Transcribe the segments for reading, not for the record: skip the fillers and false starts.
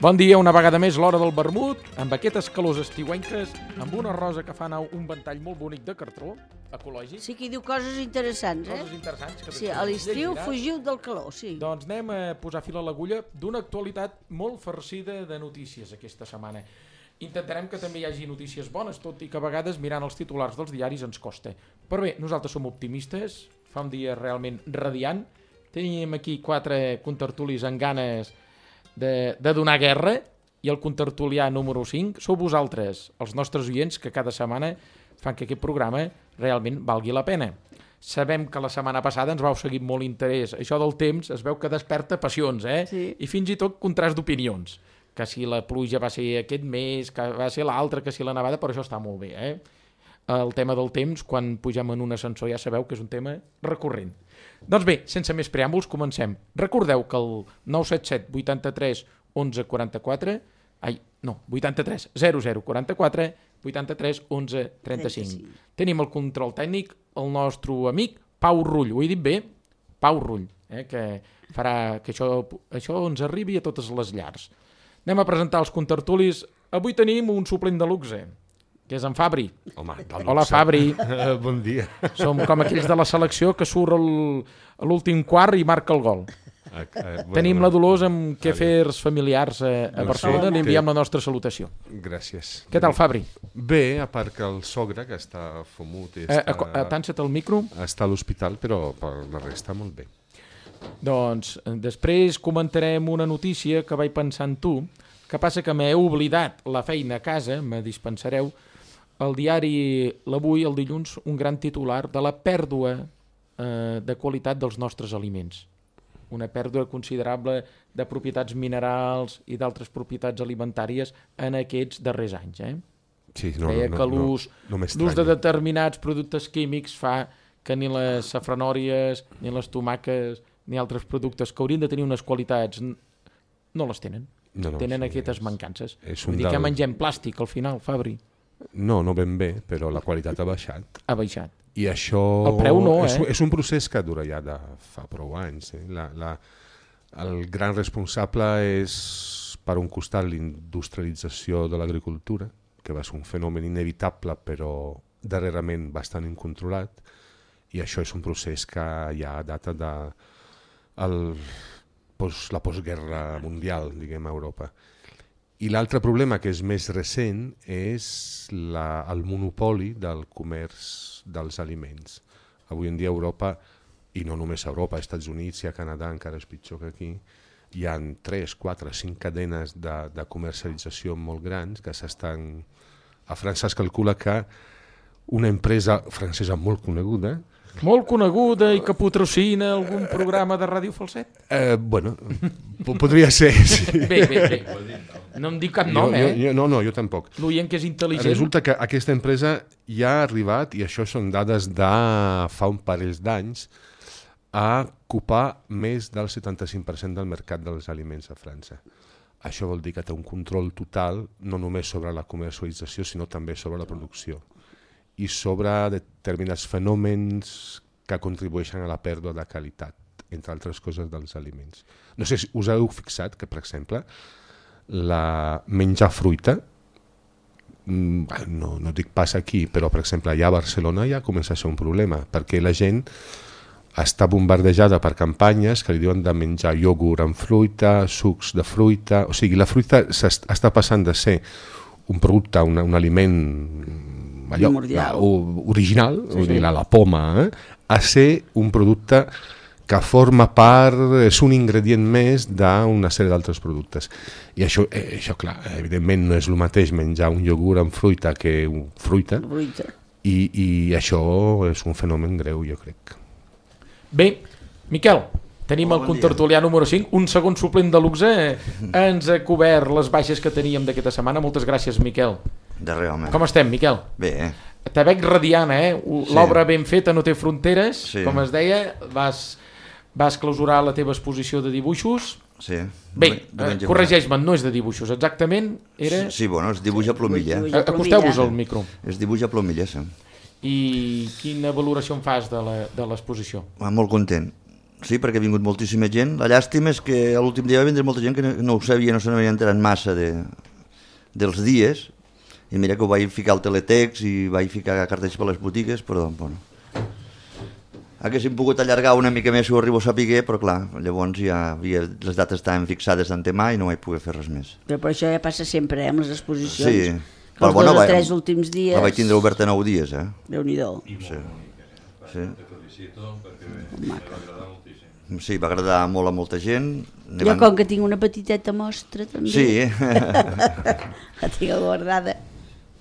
Bon dia, una vegada més, l'hora del vermut, amb aquestes calors estiuenques, amb una rosa que fa anar un ventall molt bonic de cartró, ecològic. Sí que hi diu coses interessants, Coses interessants. Que sí, a l'estiu fugiu del calor, sí. Doncs anem a posar fil a l'agulla d'una actualitat molt farcida de notícies aquesta setmana. Intentarem que també hi hagi notícies bones, tot i que a vegades mirant els titulars dels diaris ens costa. Però bé, nosaltres som optimistes, fa un dia realment radiant, tenim aquí 4 contertulis amb ganes de donar guerra, i el contertulià número 5 sou vosaltres, els nostres oients, que cada setmana fan que aquest programa realment valgui la pena. Sabem que la setmana passada ens vau seguir amb molt interès. Això del temps es veu que desperta passions, Sí. I fins i tot contrast d'opinions. Que si la pluja va ser aquest mes, que va ser l'altre, que si la nevada, però això està molt bé, El tema del temps, quan pugem en un ascensor, ja sabeu que és un tema recurrent. Doncs bé, sense més preàmbuls, comencem. Recordeu que el 977 83 11 44, 83 00 44, 83 11 35. Tenim el control tècnic, el nostre amic Pau Rull. Ho he dit bé? Pau Rull, que farà que això ens arribi a totes les llars. Anem a presentar els contertulis. Avui tenim un suplent de luxe, que és en Fabri. Home, Hola, Fabri. Bon dia. Som com aquells de la selecció que surt a l'últim quart i marca el gol. Tenim la Dolors amb quefers familiars a Barcelona. Li enviem la nostra salutació. Gràcies. Què tal, Fabri? Bé, a part que el sogre, que està fumut, Atansa't el micro. està a l'hospital, però per la resta molt bé. Doncs després comentarem una notícia que vaig pensar en tu, que passa que m'he oblidat la feina a casa, me dispensareu. El diari l'Avui, el dilluns, un gran titular de la pèrdua de qualitat dels nostres aliments. Una pèrdua considerable de propietats minerals i d'altres propietats alimentàries en aquests darrers anys. Sí, Deia que l'ús de determinats productes químics fa que ni les safranòries, ni les tomaques, ni altres productes que haurien de tenir unes qualitats no les tenen. Tenen aquestes mancances. Vull dir que mengem plàstic al final, Fabri. No ben bé, però la qualitat ha baixat. Ha baixat. I això el preu no, és un procés que dura ja de fa prou anys. El gran responsable és, per un costat, l'industrialització de l'agricultura, que va ser un fenomen inevitable, però darrerament bastant incontrolat, i això és un procés que ja data de la postguerra mundial, diguem, a Europa. I l'altre problema, que és més recent, és el monopoli del comerç dels aliments. Avui en dia a Europa, i no només a Europa, als Estats Units i a Canadà, encara és pitjor que aquí, hi ha 3, 4, 5 cadenes de comercialització molt grans que s'estan... A França es calcula que una empresa francesa molt coneguda i que patrocina algun programa de ràdio falset? Bueno, podria ser, sí. Bé. No em dic cap nom, No, jo tampoc. L'oient que és intel·ligent. Resulta que aquesta empresa ja ha arribat, i això són dades de fa un parell d'anys, a ocupar més del 75% del mercat dels aliments a França. Això vol dir que té un control total, no només sobre la comercialització, sinó també sobre la producció i sobre determinats fenòmens que contribueixen a la pèrdua de qualitat, entre altres coses, dels aliments. No sé si us heu fixat que, per exemple, menjar fruita, no dic pas aquí, però, per exemple, allà a Barcelona ja comença a ser un problema, perquè la gent està bombardejada per campanyes que li diuen de menjar iogurt amb fruita, sucs de fruita... O sigui, la fruita està passant de ser un producte, un aliment original, la poma, a ser un producte que forma part, és un ingredient més d'una sèrie d'altres productes. I això, clar, evidentment no és el mateix menjar un iogurt amb fruita que fruita, i això és un fenomen greu, jo crec. Bé, Miquel, tenim el contertulià número 5, un segon suplent de luxe, ens ha cobert les baixes que teníem d'aquesta setmana. Moltes gràcies, Miquel. De res, home. Com estem, Miquel? Bé. Te veig radiant, L'obra ben feta no té fronteres, com es deia. Vas clausurar la teva exposició de dibuixos. Sí. Bé, corregeix-me, no és de dibuixos, exactament era... Sí, bueno, es dibuix a plomilla. Acosteu-vos al micro. Es dibuix a plomilla, sí. I quina valoració en fas de l'exposició? Molt content. Sí, perquè ha vingut moltíssima gent. La llàstima és que l'últim dia va vindre molta gent que no ho sabia, no se n'havia enterat massa dels dies, i mira que ho vaig ficar al teletext i vaig ficar cartells per les botigues, però bueno. Haguéssim pogut allargar una mica més si ho arribo a saber, però clar, llavors ja les dates estaven fixades d'antemà i no vaig poder fer res més. Però per això ja passa sempre, amb les exposicions. Sí, Els 2 o 3 últims dies... La vaig tindre oberta 9 dies, Déu-n'hi-do. Sí. Sí, va agradar molt a molta gent. Jo com que tinc una petiteta mostra també. Sí. La tinc guardada.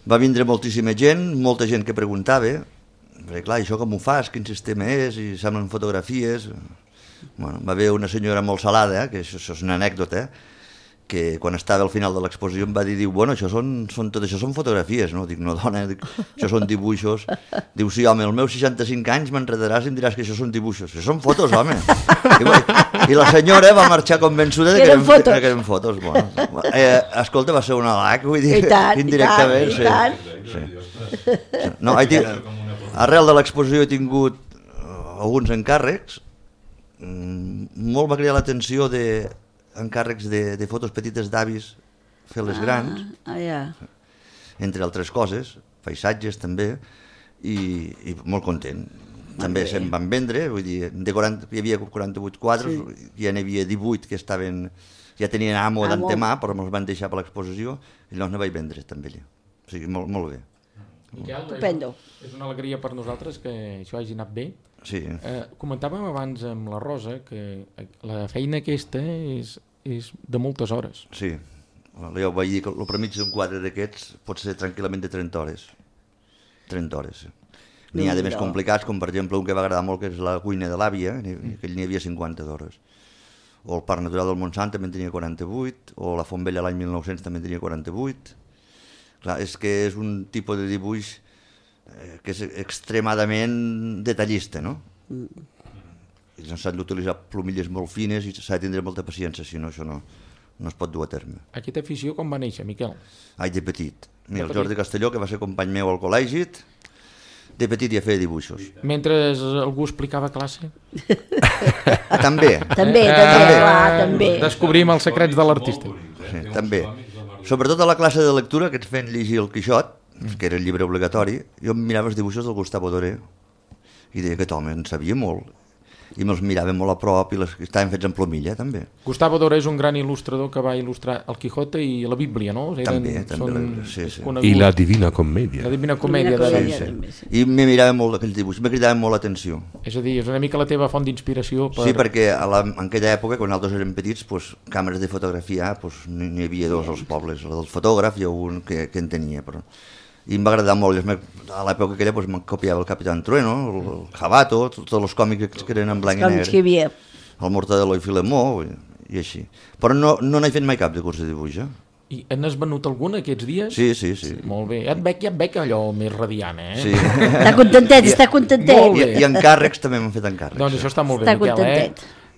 Va vindre moltíssima gent que preguntava, perquè clar, això com ho fas, quin sistema és, i semblen fotografies. Bueno, va haver una senyora molt salada, que això és una anècdota, que quan estava al final de l'exposició em va dir, bueno, tot això són fotografies, no? Dic, no, dona, això són dibuixos. Diu, sí, home, als meus 65 anys m'enredaràs i em diràs que això són dibuixos. Això són fotos, home. I la senyora va marxar convençuda que eren fotos. Bueno, escolta, va ser una halac, vull dir, indirectament. I tant. No, arrel de l'exposició he tingut alguns encàrrecs. Molt va cridar l'atenció encàrrecs de fotos petites d'avis fer-les grans, entre altres coses, paisatges també, i molt content. També se'n van vendre, vull dir, hi havia 48 quadres, ja n'hi havia 18 que ja tenien amo d'antemà, però me'ls van deixar per l'exposició, i llavors ne vaig vendre també allà. O sigui, molt bé. Miquel, és una alegria per nosaltres que això hagi anat bé. Sí. Comentàvem abans amb la Rosa que la feina aquesta és de moltes hores. Sí, jo vaig dir que el premig d'un quadre d'aquests pot ser tranquil·lament de 30 hores. 30 hores. N'hi ha de més complicats, com per exemple un que va agradar molt, que és la cuina de l'àvia, que n'hi havia 50 d'hores. O el Parc Natural del Montsant també en tenia 48, o la Font Vella l'any 1900 també en tenia 48. Clar, és que és un tipus de dibuix que és extremadament detallista, no? I s'han d'utilitzar plomilles molt fines i s'ha de tindre molta paciència, si no això no es pot dur a terme. Aquesta afició com va néixer, Miquel? Ai, de petit. Mira, el Jordi Castelló, que va ser company meu al col·legi, de petit ja feia dibuixos. Mentre algú explicava classe? També. També. Descobrim els secrets de l'artista. Sí, també. Sobretot a la classe de lectura, que ens feien llegir el Quixot, que era el llibre obligatori, jo em mirava els dibuixos del Gustavo Doré i deia que aquest home en sabia molt i me'ls mirava molt a prop i estaven fets en plomilla també. Gustavo Doré és un gran il·lustrador que va il·lustrar el Quijote i la Bíblia, no? També, sí. I la Divina Comèdia. La Divina Comèdia. I me mirava molt aquells dibuixos, me cridaven molt l'atenció. És a dir, és una mica la teva font d'inspiració per... Sí, perquè en aquella època, quan nosaltres érem petits, càmeres de fotografia n'hi havia 2 als pobles, la del fotògraf i un que en tenia, però... I em va agradar molt, a l'època aquella me'n copiava el Capitán Trueno, el Jabato, tots els còmics que eren en blanc i negre, el Mortadelo i Filemó i així. Però no n'he fet mai cap de curs de dibuix. I n'has venut algun aquests dies? Sí. Molt bé, ja et veig allò més radiant, Sí. Està contentet. I encàrrecs també m'han fet encàrrecs. Doncs això està molt bé, Miquel,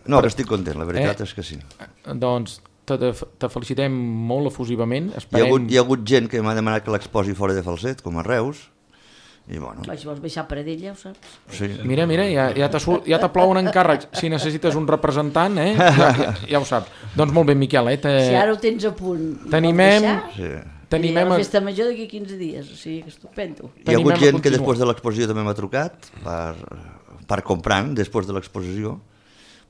No, estic content, la veritat és que sí. Doncs te felicitem molt efusivament. Hi ha hagut gent que m'ha demanat que l'exposi fora de Falset, com a Reus, i bueno... Si vols baixar per ell, ja ho saps. Sí. Mira, ja te plouen encàrrecs. Si necessites un representant, ja ho saps. Doncs molt bé, Miquel. Si ara ho tens a punt, t'animem a la festa major d'aquí 15 dies, o sigui que estupendo. Hi ha hagut gent que després de l'exposició també m'ha trucat per comprant després de l'exposició,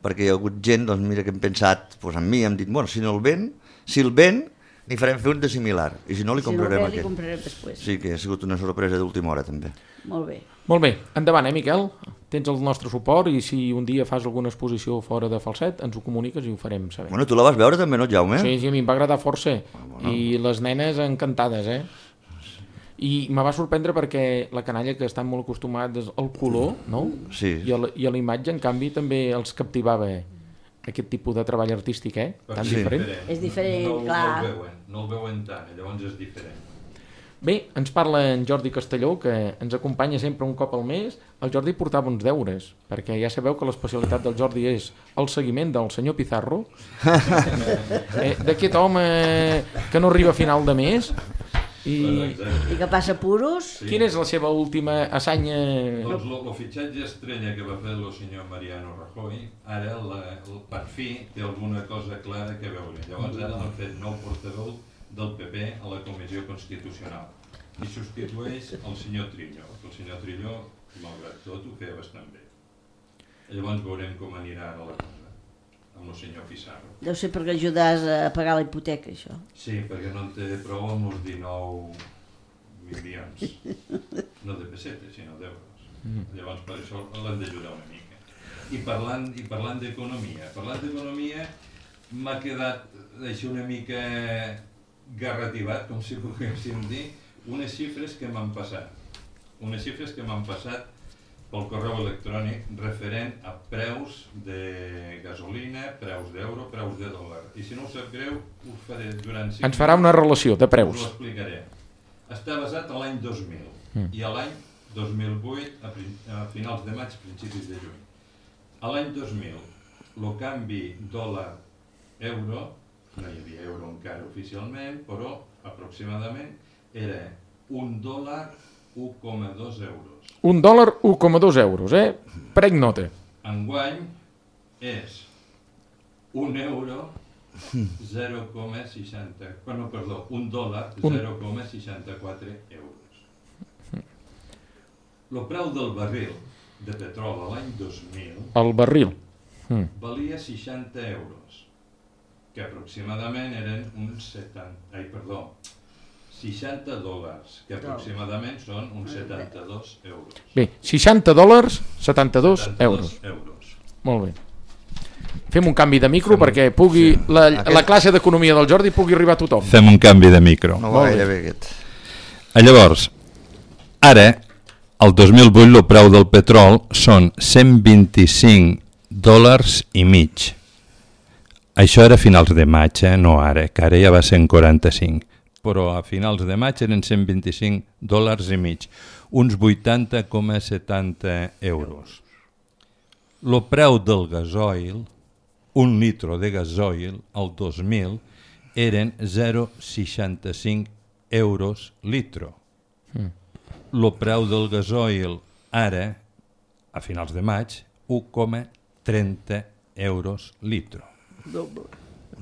perquè hi ha hagut gent, doncs mira, que hem pensat en mi, hem dit, bueno, si el ven, n'hi farem fer un de similar, i si no li comprarem aquest. Si no el ven, li comprarem després. Sí, que ha sigut una sorpresa d'última hora, també. Molt bé. Molt bé, endavant, Miquel? Tens el nostre suport i si un dia fas alguna exposició fora de Falset, ens ho comuniques i ho farem saber. Bueno, tu la vas veure també, no, Jaume? Sí, a mi em va agradar força, i les nenes encantades, I me va sorprendre perquè la canalla, que estan molt acostumats al color, no? Sí. I a la imatge, en canvi, també els captivava aquest tipus de treball artístic, tan diferent. És diferent, clar. No el veuen tant, llavors és diferent. Bé, ens parla en Jordi Castelló, que ens acompanya sempre un cop al mes. El Jordi portava uns deures, perquè ja sabeu que l'especialitat del Jordi és el seguiment del senyor Pizarro, d'aquest home que no arriba a final de mes. I que passa puros. Sí. Quina és la seva última assanya? Doncs el fitxatge estrella que va fer el senyor Mariano Rajoy, ara per fi té alguna cosa clara que veure. Llavors ara l'han fet nou portaveu del PP a la Comissió Constitucional i substitueix el senyor Trillo, que el senyor Trillo, malgrat tot, ho feia bastant bé. Llavors veurem com anirà ara la cosa amb el senyor Pizarro. Deu ser perquè ajudaràs a pagar la hipoteca, això. Sí, perquè no en té prou amb els 19 milions, no de pessetes, sinó d'euros. Llavors per això l'hem d'ajudar una mica. I parlant d'economia, m'ha quedat així una mica garrativat, com si poguéssim dir, unes xifres que m'han passat. Pel correu electrònic referent a preus de gasolina, preus d'euro, preus de dòlar. I si no us sap greu, us faré durant 5 Ens farà una relació de preus. Us ho explicaré. Està basat a l'any 2000 i a l'any 2008, a finals de maig, principis de juny. A l'any 2000, el canvi dòlar-euro, no hi havia euro encara oficialment, però aproximadament era $1 1,2 euros. $1 1,2 euros, Prenc nota. Enguany és €1 0,60... Bueno, perdó, $1 0,64 euros. El preu del barril de petroli a l'any 2000 El barril. valia 60 euros, que aproximadament eren uns 60 dòlars, que aproximadament són uns 72 euros. Bé, $60, 72 euros. Molt bé. Fem un canvi de micro perquè pugui la classe d'economia del Jordi pugui arribar a tothom. Fem un canvi de micro. No va gaire bé aquest. Llavors, ara, el 2008, el preu del petrol són $125,5. Això era a finals de maig, no ara, que ara ja va ser en 45. Però a finals de maig eren $125,5, uns 80,70 euros. El preu del gasoil, un litro de gasoil, al 2000, eren 0,65 euros litro. El preu del gasoil ara, a finals de maig, 1,30 euros litro.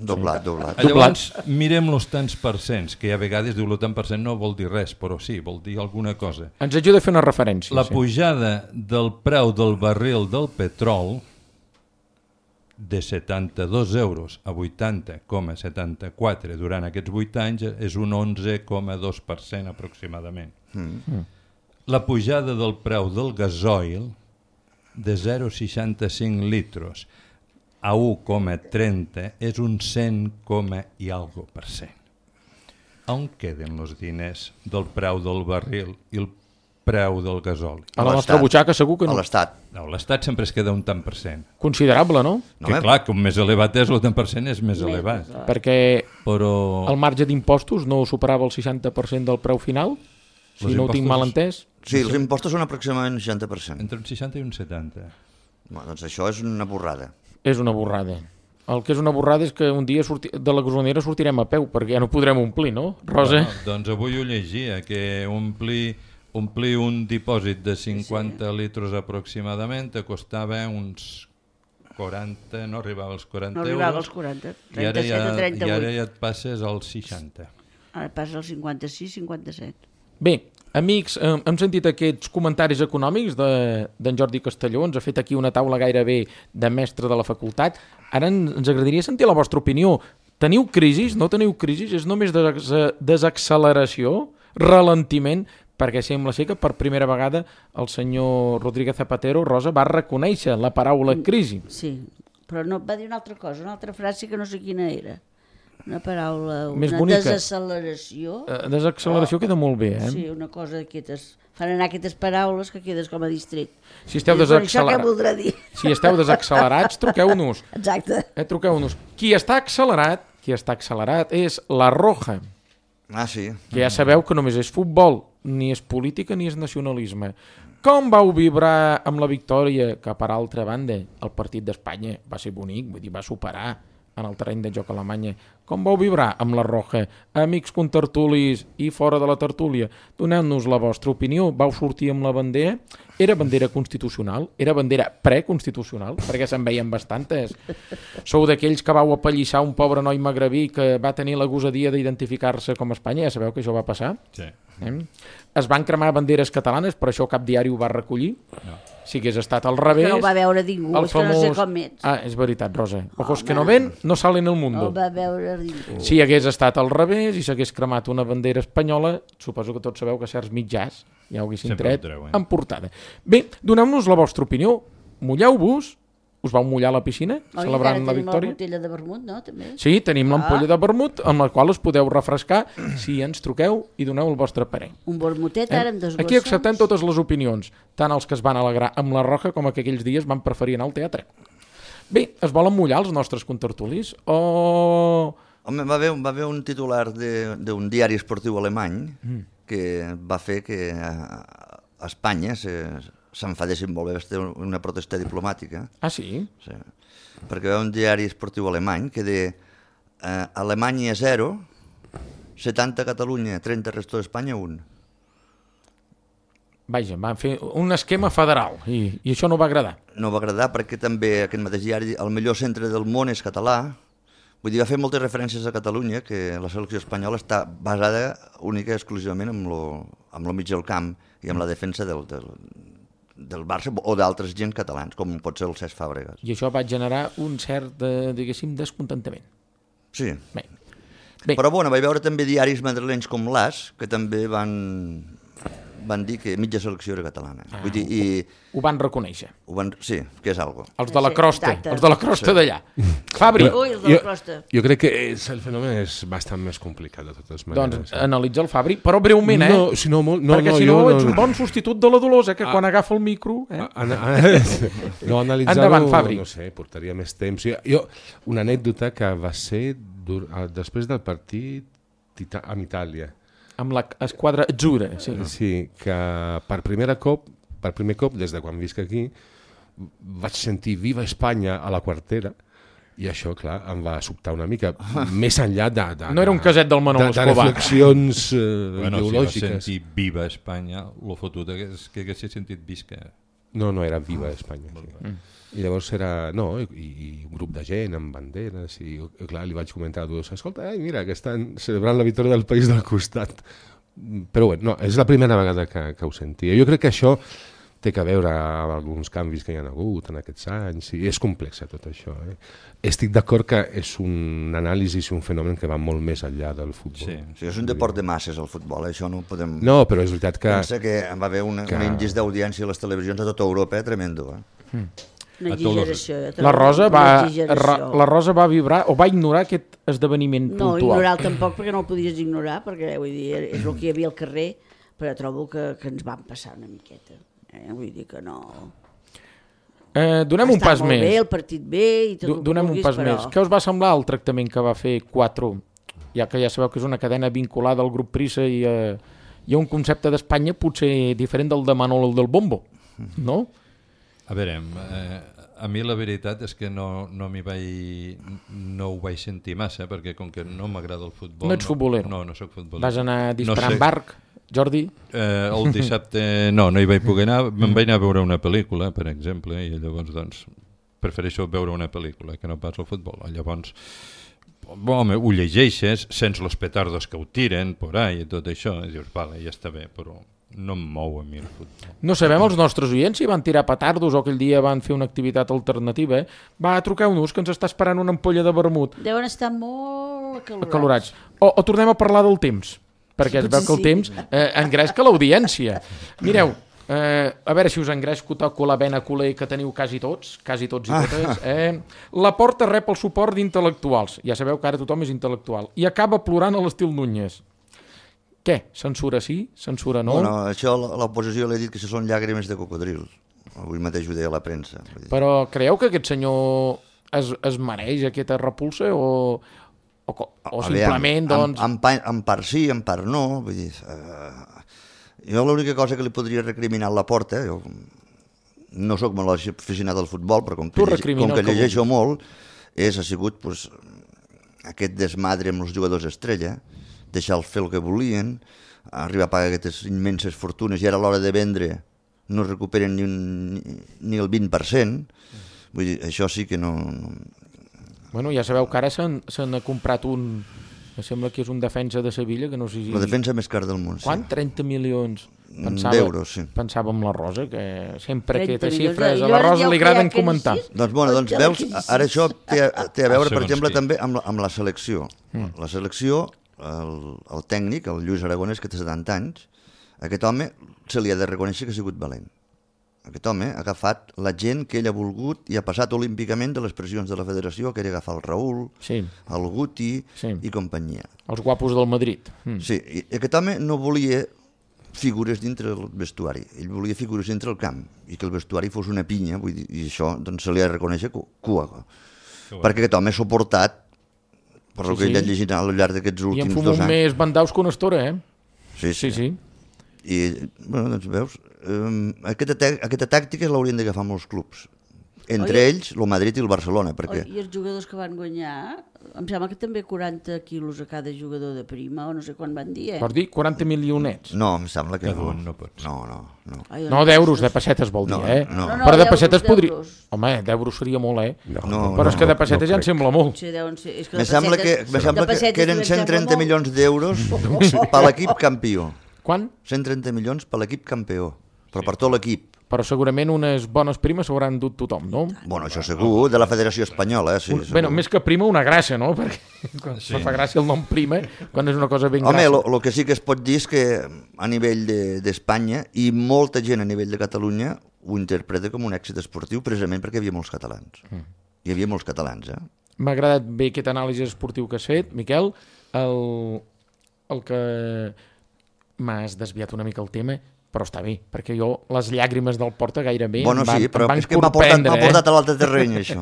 Doblat. Llavors, mirem els tants percents, que a vegades diu el tant per cent no vol dir res, però sí, vol dir alguna cosa. Ens ajuda a fer una referència. La pujada del preu del barril del petrol de 72 euros a 80,74 durant aquests 8 anys és un 11,2% aproximadament. La pujada del preu del gasoil de 0,65 litros a 1,30 és un 100, i algo per cent. On queden els diners del preu del barril i el preu del gasoli? A la nostra butxaca segur que no. A l'Estat. No, l'Estat sempre es queda un tant per cent. Considerable, no? Que clar, com més elevat és, el tant per cent és més elevat. Perquè Però el marge d'impostos no superava el 60% del preu final, si no ho tinc mal entès. Sí, els impostos són aproximadament un 60%. entre un 60 i un 70. Doncs això és una borrada. És una borrada. El que és una borrada és que un dia de la gasolinera sortirem a peu, perquè ja no podrem omplir, no, Rosa? Bueno, doncs avui ho llegia, que omplir un dipòsit de 50 litres aproximadament te costava uns 40, no arribava als 40 No arribava als 40, 37 a 38. I ara ja et passes als 60. Ara passa als 56, 57. Bé, amics, hem sentit aquests comentaris econòmics d'en Jordi Castelló, ens ha fet aquí una taula gairebé de mestre de la facultat. Ara ens agradaria sentir la vostra opinió. Teniu crisis? No teniu crisis? És només desacceleració? Ralentiment? Perquè sembla ser que per primera vegada el senyor Rodríguez Zapatero, Rosa, va reconèixer la paraula crisi. Sí, però no, va dir una altra cosa, una altra frase que no sé quina era. Una paraula, Més una bonica. desacceleració. Desacceleració queda molt bé, Sí, una cosa d'aquestes... Fan anar aquestes paraules que quedes com a distret. Si esteu Això què desaccelerats, voldrà dir? si esteu desaccelerats, truqueu-nos. Exacte. Truqueu-nos. Qui està accelerat és la Roja, Ah, sí. que ja sabeu que només és futbol, ni és política ni és nacionalisme. Com vau vibrar amb la victòria, que per altra banda el partit d'Espanya va ser bonic, vull dir, va superar en el terreny de joc a Alemanya. Com vau vibrar amb la Roja? Amics contertulis i fora de la tertúlia, doneu-nos la vostra opinió. Vau sortir amb la bandera? Era bandera constitucional? Era bandera preconstitucional? Perquè se'n veien bastantes. Sou d'aquells que vau apallissar un pobre noi magrebí que va tenir la gosadia d'identificar-se com a Espanya? Ja sabeu que això va passar? Sí. Es van cremar banderes catalanes, per això cap diari ho va recollir. No. Si hagués estat al revés... Que no ho va veure ningú, el és que no sé com ets. Ah, és veritat, Rosa. Ojos que no ven, no salen el No mundo. ho va veure ningú. Si hagués estat al revés i s'hagués cremat una bandera espanyola, suposo que tots sabeu que certs mitjans ja ho haguessin Sempre tret ho treuen. en portada. Bé, doneu-nos la vostra opinió. Mulleu-vos. Us vau mullar a la piscina celebrant la victòria? Tenim la botella de vermut, no? També. Sí, tenim l'ampolla de vermut amb la qual us podeu refrescar si ens truqueu i doneu el vostre parer. Un vermutet ara amb dos Aquí acceptem totes les opinions, tant els que es van alegrar amb la Roja com que aquells dies van preferir anar al teatre. Bé, es volen mullar els nostres contertulis o... Home, va haver un titular d'un diari esportiu alemany que va fer que a Espanya s'enfadessin molt bé, va ser una protesta diplomàtica. Ah, sí? Sí. Perquè va un diari esportiu alemany que deia Alemanya 0, 70 Catalunya, 30 resto d'Espanya 1. Vaja, van fer un esquema federal i això no va agradar. No va agradar perquè també aquest mateix diari, el millor centre del món és català. Vull dir, va fer moltes referències a Catalunya, que la selecció espanyola està basada única i exclusivament amb lo mig del camp i amb la defensa del Barça o d'altres gent catalans, com pot ser el Cesc Fàbregas. I això va generar un cert, diguéssim, descontentament. Sí. Bé. Però bueno, vaig veure també diaris madrilenys com l'As, que també van dir que mitja selecció era catalana. Vull dir, Ho van reconèixer. sí, que és algo. Els de la Sí, crosta, exacte. els de la crosta d'allà. Fabri, Ui, els de la costa. Jo crec que el fenomen és bastant més complicat de totes maneres. doncs analitza el Fabri, però breument, No, si no, molt, no, perquè no, si no jo ets un bon substitut de la Dolors, que quan agafa el micro... No, analitzar-ho, Endavant, Fabri. no sé, portaria més temps. Jo, una anècdota que va ser després del partit amb Itàlia. Amb l'esquadra azzurra, sí. Sí, que per primer cop, des de quan visc aquí, vaig sentir Viva Espanya a la quartera i això, clar, em va sobtar una mica, més enllà de No era un caset del Manolo de Escobar. reflexions Bueno, si ideològiques. va sentir Viva Espanya, lo fotut és que hagués sentit Visca. No, era Viva Espanya. Sí. I llavors era, i un grup de gent amb banderes, i clar, li vaig comentar a tots, escolta, mira, que estan celebrant la victòria del país del costat. Però bé, no, és la primera vegada que ho sentia. Jo crec que això té a veure amb alguns canvis que hi ha hagut en aquests anys, i és complex tot això. Estic d'acord que és un anàlisi i un fenomen que va molt més enllà del futbol. Sí, és un deport de masses, el futbol, això no ho podem... No, però és veritat que... Pensa que va haver un índex d'audiència a les televisions a tota Europa, tremendo. Una exageració. La Rosa va vibrar o va ignorar aquest esdeveniment No, puntual. ignorar-lo tampoc, perquè no el podies ignorar, perquè vull dir, és el que hi havia al carrer, però trobo que ens van passar una miqueta. Vull dir que no... Donem un pas Està molt més. bé, el partit bé i tot el que Donem un vulguis, pas però... més. Què us va semblar el tractament que va fer 4? Ja que ja sabeu que és una cadena vinculada al grup Prisa i hi ha un concepte d'Espanya potser diferent del de Manolo del Bombo, no? A veure, a mi la veritat és que no ho vaig sentir massa, perquè com que no m'agrada el futbol... No ets futbolero? No soc futbolero. Vas anar disparant barc, Jordi? El dissabte no hi vaig poder anar, me'n vaig anar a veure una pel·lícula, per exemple, i llavors doncs prefereixo veure una pel·lícula que no pas el futbol. Llavors, home, ho llegeixes, sents els petardos que ho tiren por ahí i tot això, i dius, vale, ja està bé, però no em mou a mi el futbol. No sabem els nostres oients si van tirar petardos o aquell dia van fer una activitat alternativa. Va, truqueu-nos, que ens està esperant una ampolla de vermut. Deuen estar molt Acalorats. O tornem a parlar del temps, perquè es veu que el temps engresca l'audiència. Mireu, a veure si us engresco toco la vena culer que teniu quasi tots i totes. La Porta rep el suport d'intel·lectuals. Ja sabeu que ara tothom és intel·lectual. I acaba plorant a l'estil Núñez. Què? Censura sí? Censura no? Bueno, això l'oposició li ha dit que això són llàgrimes de cocodril. Avui mateix ho deia la premsa. Però creieu que aquest senyor es mereix aquesta repulsa o simplement, doncs... En part sí, en part no. Vull dir, jo l'única cosa que li podria recriminar a la Porta, jo no sóc molt aficionat al futbol, però com que llegeixo molt, ha sigut aquest desmadre amb els jugadors estrella, deixar-los fer el que volien, arribar a pagar aquestes immenses fortunes i ara a l'hora de vendre no recuperen ni el 20%. Vull dir, això sí que no... Bueno, ja sabeu que ara se n'ha comprat un... Em sembla que és un defensa de Sevilla, que no sé si... La defensa més cara del món, sí. Quant? 30 milions? D'euros, sí. Pensava amb la Rosa, que sempre 30 aquestes milions. xifres a I la llavors Rosa ja li ho agraden creia que comentar. sí. Doncs, bueno, doncs veus, ara això té a veure, per Segons exemple, qui. també amb la selecció. La selecció, el tècnic, el Lluís Aragonès, que té 70 anys, aquest home se li ha de reconèixer que ha sigut valent. Aquest home ha agafat la gent que ell ha volgut i ha passat olímpicament de les pressions de la federació, que era agafar el Raül, Sí, el Guti Sí. i companyia. els guapos del Madrid. Sí, i aquest home no volia figures dintre el vestuari, ell volia figures dintre el camp, i que el vestuari fos una pinya, vull dir, i això doncs, se li ha de reconèixer cua. Perquè aquest home ha suportat, per el que ell ha llegit al llarg d'aquests I en últims fumar 2 anys. més bandaus que una estora, eh? Sí, Sí, sí. I, bueno, doncs veus, aquesta tàctica l'haurien d'agafar molts clubs. Entre ells, el Madrid i el Barcelona, perquè... I els jugadors que van guanyar, em sembla que també 40 quilos a cada jugador de prima, o no sé quan van dir, Vols dir 40 milionets? No, em sembla que Cada no. un no pot ser. No. Ai, No, d'euros, de pessetes vol dir, No, eh? no. No, Però de d'euros, pessetes podria... d'euros. Home, d'euros seria molt, eh? No, Però és que de pessetes ja em sembla molt. Sí, deuen ser... És que Me de sembla pessetes- que eren de pessetes 130 em sembla milions d'euros per l'equip campió. Quan? 130 milions per l'equip campió, però per tot l'equip. Però segurament unes bones primes s'hauran dut tothom, no? Bueno, això segur, de la Federació Espanyola, sí. segur. Bueno, més que prima, una gràcia, no? Perquè quan me fa gràcia el nom prima, quan és una cosa ben Home, gràcia. el que sí que es pot dir és que a nivell d'Espanya i molta gent a nivell de Catalunya ho interpreta com un èxit esportiu precisament perquè hi havia molts catalans. Hi havia molts catalans, M'ha agradat bé aquest anàlisi esportiu que has fet, Miquel. El que m'has desviat una mica el tema, però està bé, perquè jo les llàgrimes del Porta gairebé Bueno, em van, sí, però em van és que m'ha corprendre, portat a l'altre terreny, això.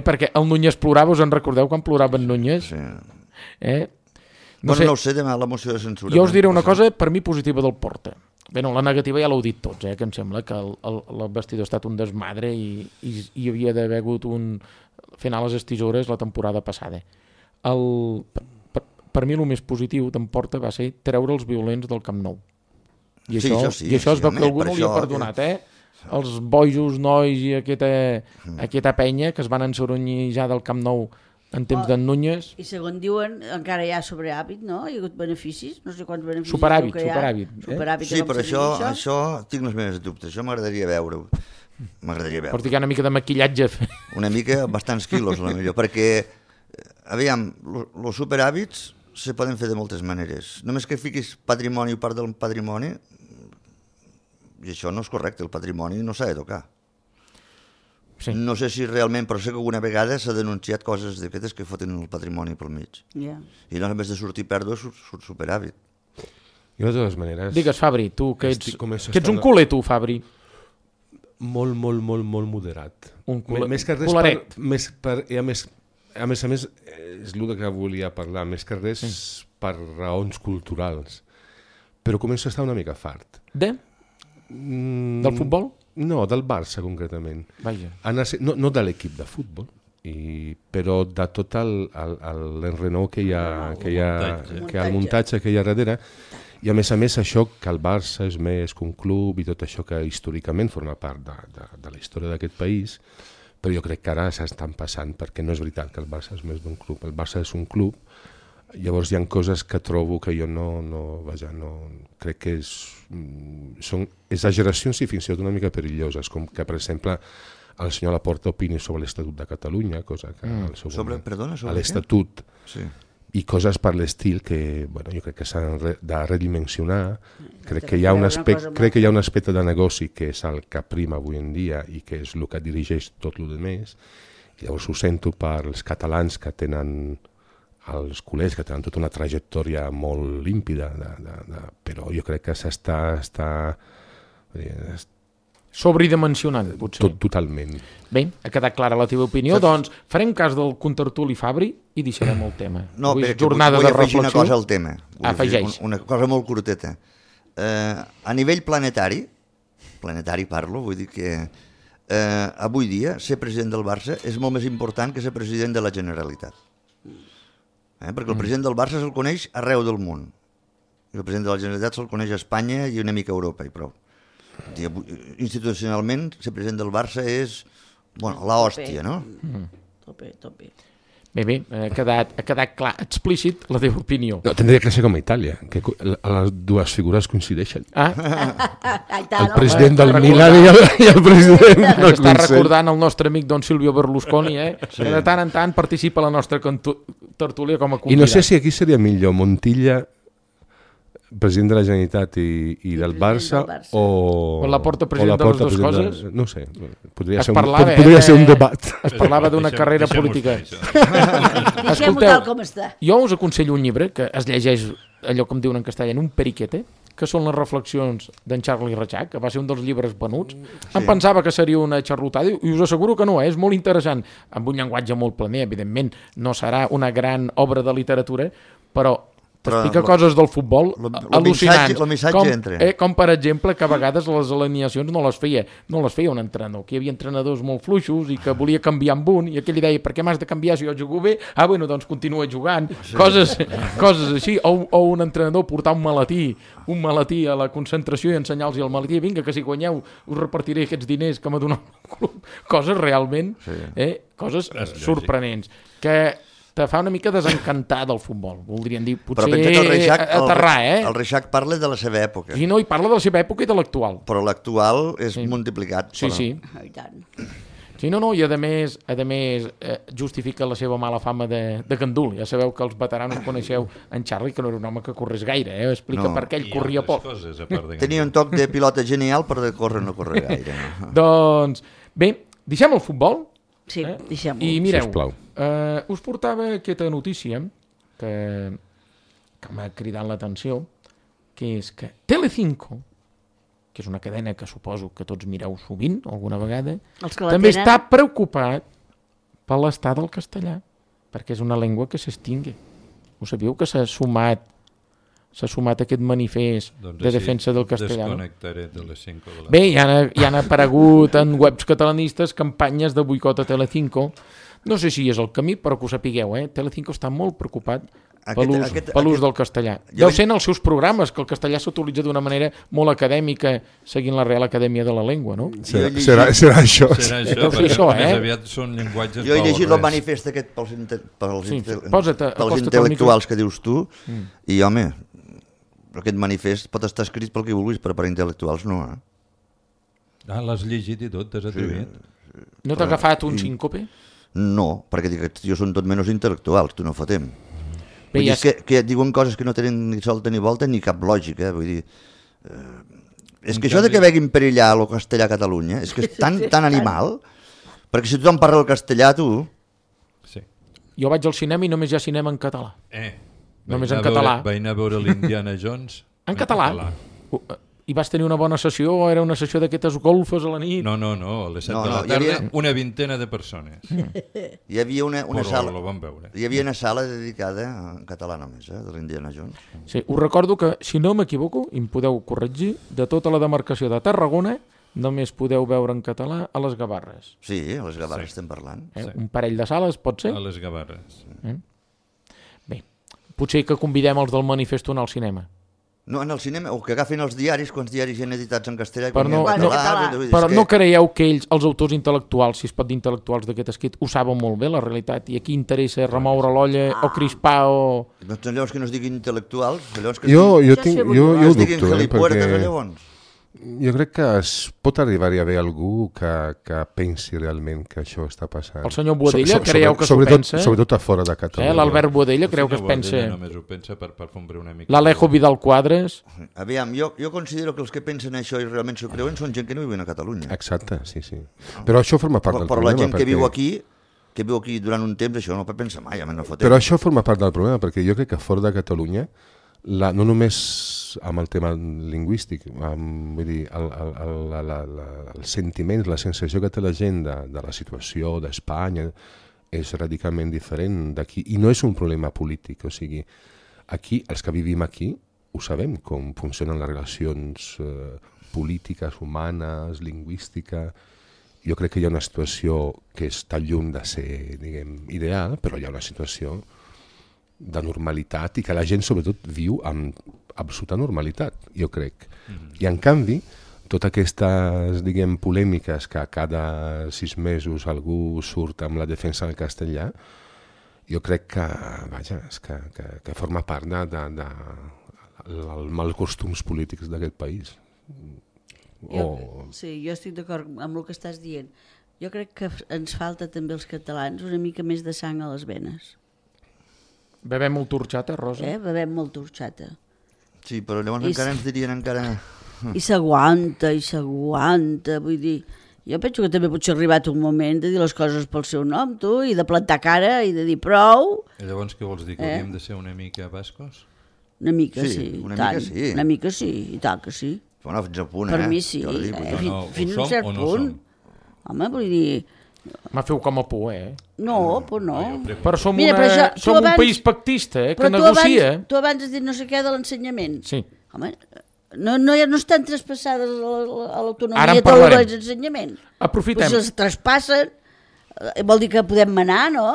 Perquè el Núñez plorava, us en recordeu quan plorava en Núñez? Sí. No sé, No ho sé, demà la moció de censura. jo us diré una cosa per mi positiva del Porta. Bé, no, la negativa ja l'heu dit tots, que em sembla que el vestidor ha estat un desmadre i hi havia d'haver hagut un final a les tisores la temporada passada. Per mi el més positiu d'en Porta va ser treure els violents del Camp Nou. I Sí, això, això sí, i això es sí, veu home, que algú per no li ha això perdonat, Els bojos, nois i aquesta penya que es van ensoronyir del Camp Nou en temps d'en Núñez. I segons diuen, encara hi ha sobrehàbit, no? Hi ha hagut beneficis, no sé quants beneficis. Superàvit, diu que hi ha. superàvit, Superàvit, Sí, com però se diu això tinc els meus dubtes. Això m'agradaria veure-ho. M'agradaria Pots veure. dir que hi ha una mica de maquillatge. Una mica, bastants quilos, a la millor, perquè, aviam, els superhàbits se poden fer de moltes maneres. Només que fiquis patrimoni o part del patrimoni, i això no és correcte, el patrimoni no s'ha de tocar. Sí. No sé si realment, però sé que alguna vegada s'ha denunciat coses d'aquestes que foten el patrimoni pel mig. Ja. I no, a més de sortir pèrdua, surt superàvit. Jo, de totes maneres, Digues, Fabri, tu que ets Començo a que ets un estar- culer, tu, Fabri. molt moderat. Un Més que res, cularet. i a més, és el que volia parlar, més que res per raons culturals. Però començo a estar una mica fart. Del futbol? No, del Barça concretament. Vaja. No de l'equip de futbol, però de tot l'enrenou que hi ha, el muntatge que hi ha darrere. I a més això que el Barça és més que un club i tot això que històricament forma part de la història d'aquest país, però jo crec que ara s'estan passant, perquè no és veritat que el Barça és més d'un club. El Barça és un club, llavors hi ha coses que trobo que jo no crec que són exageracions i fins i tot una mica perilloses, com que, per exemple, el senyor Laporta opini sobre l'Estatut de Catalunya, cosa que al seu moment... Perdona, sobre l'Estatut, Sí. i coses per l'estil que jo crec que s'han de redimensionar. Crec que hi ha un aspecte de negoci que és el que prima avui en dia i que és el que dirigeix tot el més. I llavors ho sento per als catalans que tenen els culers, que tenen tota una trajectòria molt límpida, però jo crec que s'està Sobredimensionant, potser. totalment. Bé, ha quedat clara la teva opinió, doncs farem cas del contertuli Fabri i deixarem el tema. No, Avui és perquè jornada vull de afegir una reflexió. cosa al tema. Afegeix. Una cosa molt curteta. A nivell planetari parlo, vull dir que avui dia ser president del Barça és molt més important que ser president de la Generalitat. Perquè el president del Barça se'l coneix arreu del món. I el president de la Generalitat se'l coneix a Espanya i una mica a Europa, i prou. Institucionalment, ser president del Barça és, bueno, la hòstia, no? Tope. Bé, ha quedat clar, explícit la teva opinió. No, tendria que ser com a Itàlia, que les dues figures coincideixen. El president del Milan i el president del Està Consell. recordant el nostre amic Don Silvio Berlusconi, que de tant en tant participa a la nostra tertúlia com a I convidat. no sé si aquí seria millor Montilla, president de la Generalitat i del Barça, del Barça. O Laporta, president de les dues coses? No sé, podria Es ser parlava, ser un debat. Es parlava d'una carrera política. Deixem-ho tal com està. Jo us aconsello un llibre que es llegeix, allò com diuen en castellà, en un periquete, que són les reflexions d'en Charlie Reixac, que va ser un dels llibres venuts. Em pensava que seria una xarlotada i us asseguro que no, és molt interessant, amb un llenguatge molt planer, evidentment no serà una gran obra de literatura, però t'explica coses del futbol al·lucinants. El missatge entra. Com per exemple que a vegades les alineacions no les feia un entrenador, que hi havia entrenadors molt fluixos i que volia canviar amb un i aquell li deia, per què m'has de canviar si jo jugo bé? Bueno, doncs continua jugant. Coses així, o un entrenador portar un maletí a la concentració i ensenyar-los el maletí, vinga, que si guanyeu us repartiré aquests diners que m'ha donat el club. Coses realment, coses sorprenents, que te fa una mica desencantar del futbol. Voldrien dir, potser aterrar, El Reixac parla de la seva època. I no, i parla de la seva època i de l'actual. Però l'actual és multiplicat. Sí. I tant. Sí, no, i a més justifica la seva mala fama de gandul. Ja sabeu que els veteranos coneixeu en Charlie, que no era un home que corres gaire, explica per què ell corria poc. Tenia un toc de pilota genial, però de córrer no corre gaire. Doncs, bé, deixem el futbol. Sí, deixem-ho. I mireu, Sisplau. us portava aquesta notícia que m'ha cridat l'atenció, que és que Telecinco, que és una cadena que suposo que tots mireu sovint, alguna vegada, també està preocupat per l'estat del castellà, perquè és una llengua que s'extingui. Ho sabíeu que s'ha sumat aquest manifest de defensa del castellà? Desconnectaré de les 5 de la... Bé, hi han aparegut en webs catalanistes campanyes de boicot a Telecinco. No sé si és el camí, però que ho sapigueu, Telecinco està molt preocupat per l'ús del castellà. Deu ser en els seus programes, que el castellà s'utilitza d'una manera molt acadèmica, seguint la Real Acadèmia de la Llengua, no? Serà això. Serà això, perquè més aviat són llenguatges... Jo he llegit el manifest aquest pels intel·lectuals que dius tu, i home, aquest manifest pot estar escrit pel que vulguis, però per intel·lectuals no, l'has llegit i tot, t'has atrevit? No t'ha agafat un síncope? No, perquè aquests tios són tot menys intel·lectuals, tu no fotem. Vull dir que diuen coses que no tenen ni solta ni volta ni cap lògica, vull dir... És que això de que veguin perillar el castellà a Catalunya és que és tan animal, perquè si tothom parla el castellà, tu... Sí. Jo vaig al cinema i només hi ha cinema en català. Només en català. Vaig anar a veure l'Indiana Jones en català. I vas tenir una bona sessió o era una sessió d'aquestes golfes a la nit? No, a les 7 de la tarda, una vintena de persones. Hi havia una sala... Però ho vam veure. Hi havia una sala dedicada en català només, de l'Indiana Jones. Sí, us recordo que, si no m'equivoco, i em podeu corregir, de tota la demarcació de Tarragona només podeu veure en català a les Gavarres. Sí, a les Gavarres estem parlant. Un parell de sales, pot ser? A les Gavarres. Bé, potser que convidem els del manifest a anar al cinema. No, en el cinema, o que agafin els diaris, quants diaris hi ha editats en castellà i però en català. Però no creieu que ells, els autors intel·lectuals, si es pot dir intel·lectuals d'aquest escrit, ho saben molt bé, la realitat, i aquí interessa remoure l'olla o crispar o... Doncs llavors que no es diguin intel·lectuals, llavors que jo ho es diguin gelipuertes, perquè llavors. Jo crec que es pot arribar-hi a haver algú que pensi realment que això està passant. El senyor Boadella creieu que s'ho pensa? Sobretot a fora de Catalunya. L'Albert Boadella creu que es pensa... El senyor Boadella només ho pensa per fondre una mica... L'Alejo Vidal Quadres... Aviam, jo considero que els que pensen això i realment s'ho creuen són gent que no viuen a Catalunya. Exacte, sí. Però això forma part del problema. Però la gent que viu aquí durant un temps, això no pot pensar mai, no fotem. Però això forma part del problema, perquè jo crec que fora de Catalunya, no només amb el tema lingüístic, vull dir, els sentiments, la sensació que té la gent de la situació d'Espanya és radicalment diferent d'aquí, i no és un problema polític, o sigui, aquí, els que vivim aquí, ho sabem com funcionen les relacions polítiques, humanes, lingüístiques. Jo crec que hi ha una situació que està lluny de ser, diguem, ideal, però hi ha una situació de normalitat i que la gent sobretot viu amb absoluta normalitat, jo crec. I en canvi, totes aquestes, diguem, polèmiques que cada 6 mesos algú surt amb la defensa del castellà, jo crec que, vaja, és que forma part dels malcostums polítics d'aquest país. Sí, jo estic d'acord amb el que estàs dient. Jo crec que ens falta també als catalans una mica més de sang a les venes. Bevem molt horchata, Rosa? Bevem molta horchata. Sí, però llavors encara ens dirien encara... I s'aguanta, vull dir... Jo penso que també potser ha arribat un moment de dir les coses pel seu nom, tu, i de plantar cara i de dir prou. I llavors què vols dir, que hauríem de ser una mica bascos? Una mica Sí, sí, una tant. mica sí. Una mica sí, i tant que sí. Bueno, fins al punt, Per mi sí, Jordi, fins a un cert no punt. Home, vull dir... Me feu com a por, No, però no. Però som, Mira, però això, tu som un abans- país pactista, que Però negocia. tu abans has dit no sé què de l'ensenyament. Sí. Home, no estan traspassades a Ara l'autonomia en tot parlarem. l'ensenyament. Aprofitem. Però si els traspassen, vol dir que podem manar, no?